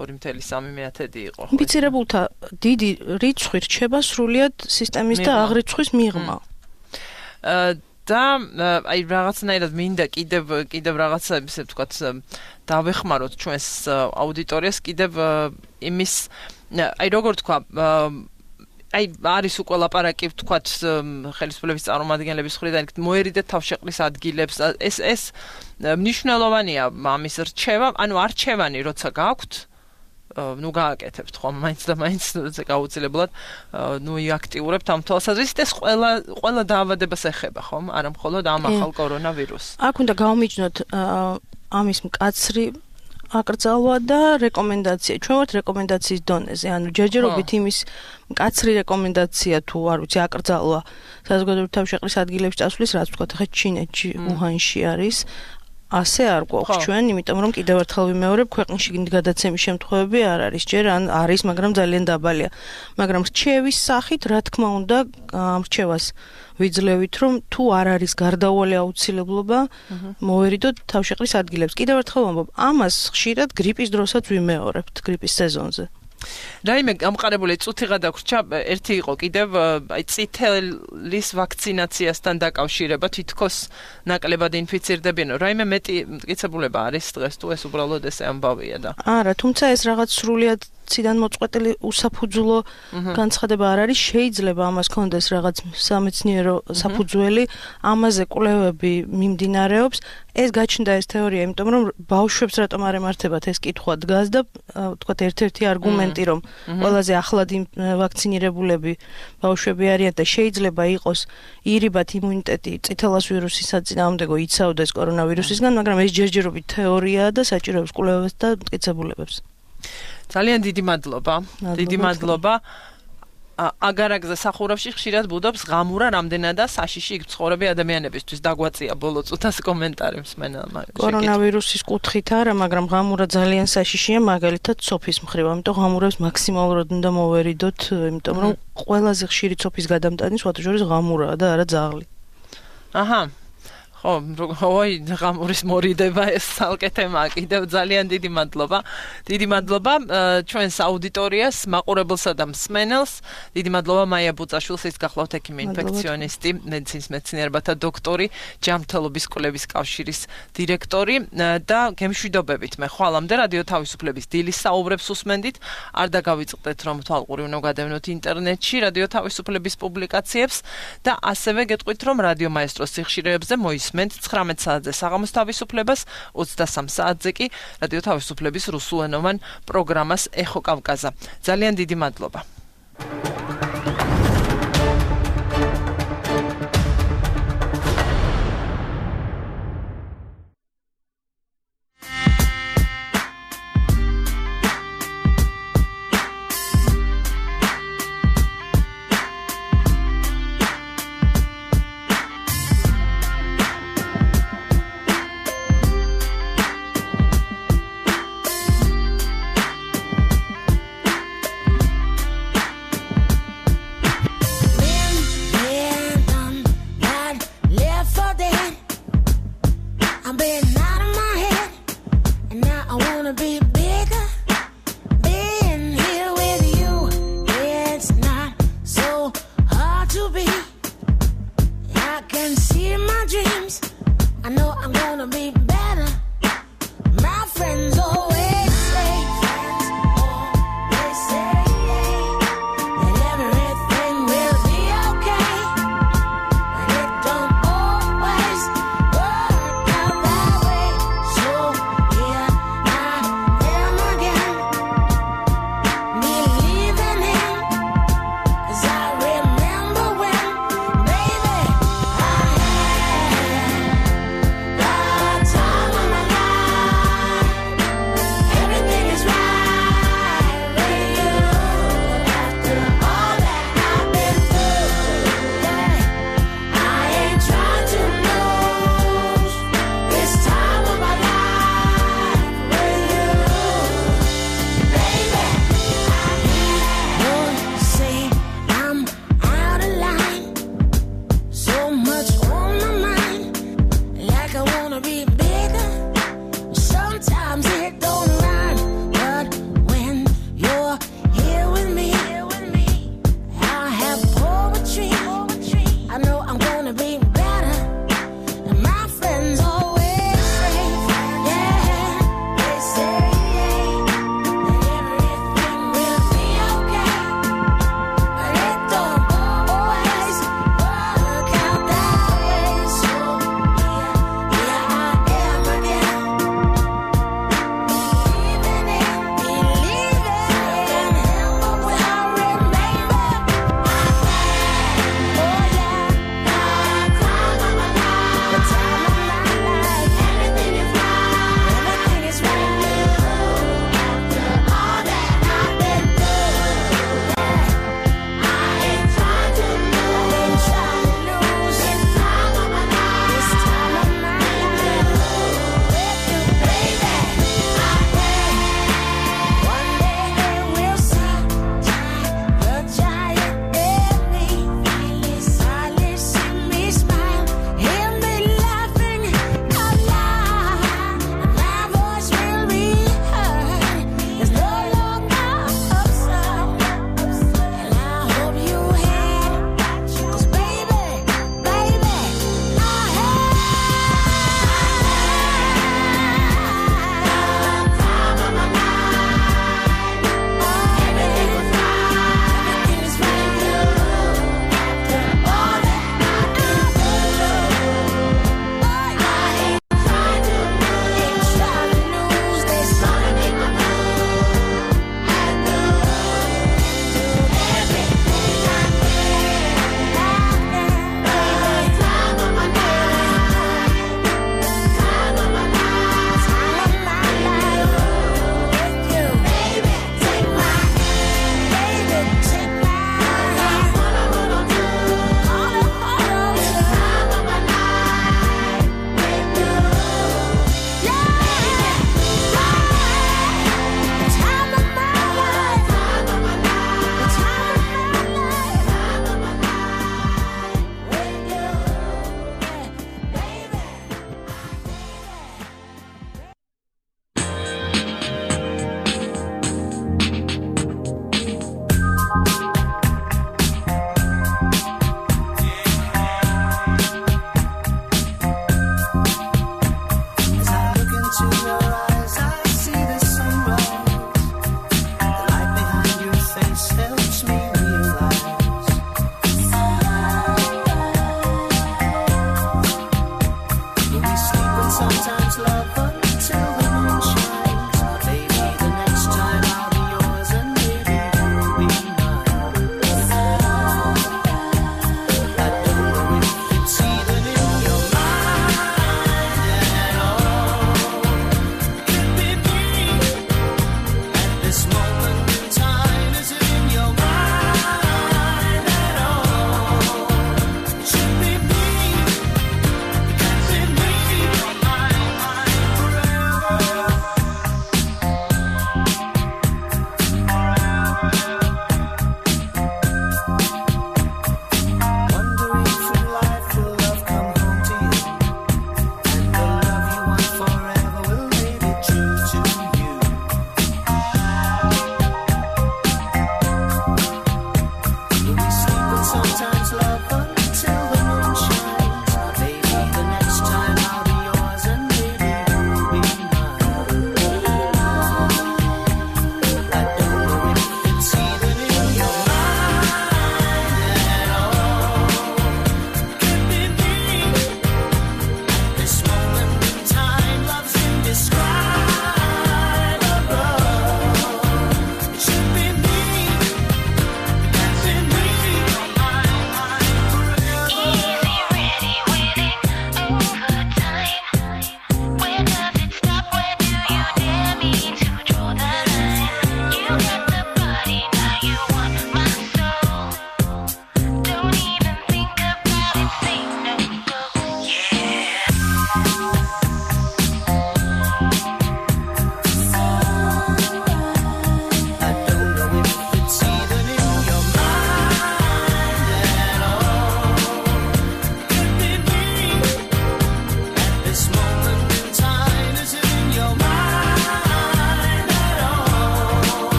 2.3 იყო. ინფიცირებულთა დიდი რიცხვი რჩება სრულად სისტემის და აღრიცხვის მიღმა. და აი რაღაცნაირად მინდა კიდევ რაღაცა ისე ვთქვათ დავეხმაროთ ჩვენს აუდიტორიას კიდევ იმის აი როგორ თქვა აი არის უკვე ლაპარაკი ვთქვათ ხელისუფლების წარმომადგენლების მხრიდან მოერიდეთ თავშეყრის ადგილებს ეს მნიშვნელოვანია ამის რჩევა ანუ არჩევანი როცა გაქვთ ნუ გააკეთებთ ხომ მაინც და მაინც გაუცილებლად ნუ იაქტიურებთ ამ თვალსაზრისით ეს ყველა დაავადებას ეხება ხომ არა მხოლოდ ამ ახალ კორონავირუსს აქ უნდა გავმიჯნოთ ამის მკაცრი აკრძალვა და რეკომენდაცია ჩვენ ვართ რეკომენდაციის დონეზე ანუ ჯერჯერობით იმის მკაცრი რეკომენდაცია თუ არ ვიცი აკრძალვა საზოგადოებრივი თავშეყრის ადგილებში წასვლის რაც ვთქვათ ახლა ჩინეთში უჰანში არის ასე არ გვაქვს ჩვენ, იმიტომ რომ კიდევ ერთხელ ვიმეორებ, ქვეყნის შიგნით გადაცემის შემთხვევები არ არის, ჯერ ან არის, მაგრამ ძალიან დაბალია. მაგრამ რჩევის სახით, რა თქმა უნდა, ამ რჩევას ვიძლევით, რომ თუ არ არის გარდაუვალი აუცილებლობა, მოვერიდოთ თავშეყრის ადგილებს. კიდევ ერთხელ ვამბობ, ამას ხშირად გრიპის დროსაც ვიმეორებთ, გრიპის სეზონზე. რაიმე გამყარებული წუთიღა დაგვრჩა, ერთი იყო კიდევ აი წითელის ვაქცინაციასთან დაკავშირება, თითქოს ნაკლებად ინფიცირდებიან. რაიმე მეტი მტკიცებულება არის დღეს თუ ეს უბრალოდ ესე ამბავია და. არა, თუმცა ეს რაღაც სრულიად ციდან მოწყვეტილი უსაფუძვლო განცხადება არ არის, შეიძლება ამას კონდეს რაღაც სამეცნიერო საფუძველი, ამაზე კვლევები მიმდინარეობს. ეს გაჩნდა ეს თეორია, იმიტომ რომ ბავშვებს რატომ არ ემართებათ ეს კითხვა დგას და თქვათ ერთ-ერთი არგუმენტი რომ ყველაზე ახლად ვაქცინირებულები ბავშვები არიან და შეიძლება იყოს ირიბად იმუნიტეტი წითელას ვირუსის საწინააღმდეგო იცავდეს კორონავირუსისგან, მაგრამ ეს ჯერჯერობით თეორიაა და საჭიროებს კვლევებს და მტკიცებულებას. ძალიან დიდი მადლობა. დიდი მადლობა. აგარაგზე სახურავში ხშირად ბუდობს ღამურა რამდენადა საშიში იქ ცხოვრები ადამიანებისთვის დაგვაწია ბოლო წუთას კომენტარი მსმენელმა. კორონავირუსის კუთხით არა, მაგრამ ღამურა ძალიან საშიშია, მაგალითად სოფის მხრივ, ამიტომ ღამურებს მაქსიმალურად უნდა მოვერიდოთ, იმიტომ რომ ყველაზე ხშირი სოფის გადამტანი სხვათა შორის ღამურაა და არა ძაღლი. აჰა. ხო, ой, ღამურის მორიდება ეს ცალკე თემაა, კიდევ ძალიან დიდი მადლობა. დიდი მადლობა ჩვენს აუდიტორიას, მაყურებელსა და მსმენელს. დიდი მადლობა მაია ბუწაშვილს, ის გახლავთ ექიმი ინფექციონისტი, მედიცინის მეცნიერებათა დოქტორი, ჯანმრთელობის კვლევის კავშირის დირექტორი და გემშვიდობებით მე ხვალამდე რადიო თავისუფლების დილის საუბრებს უსმენდით. არ დაგავიწყდეთ რომ თვალყური უნდა გადავნოთ ინტერნეტში რადიო თავისუფლების პუბლიკაციებს და ასევე გეტყვით რომ რადიო მაესტროს სიხშირეებზე მოისმენთ 19 საათზე საღამოს თავისუფლებას, 23 საათზე კი რადიო თავისუფლების რუსულენოვან პროგრამას ეხო კავკაზა. ძალიან დიდი მადლობა.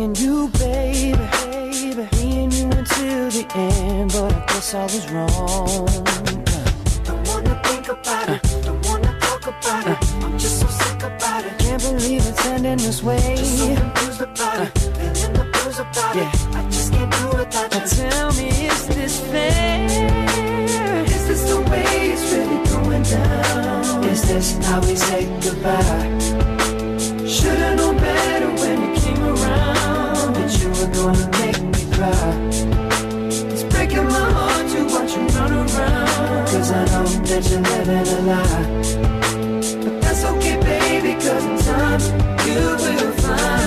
and you, baby. Me and you until the end, but I guess I was wrong. Don't wanna think about it, don't wanna talk about it. I'm just so sick about it. Can't believe it's ending this way. Just so confused about it, feeling the blues about it. I just can't do it without you. Tell me, is this fair? Is this the way it's really going down? Is this how we say goodbye? Should've known better when you came around that you were gonna make me cry. It's breaking my heart to watch you run around, 'cause I know that you're living a lie. But that's okay, baby, 'cause in time you will find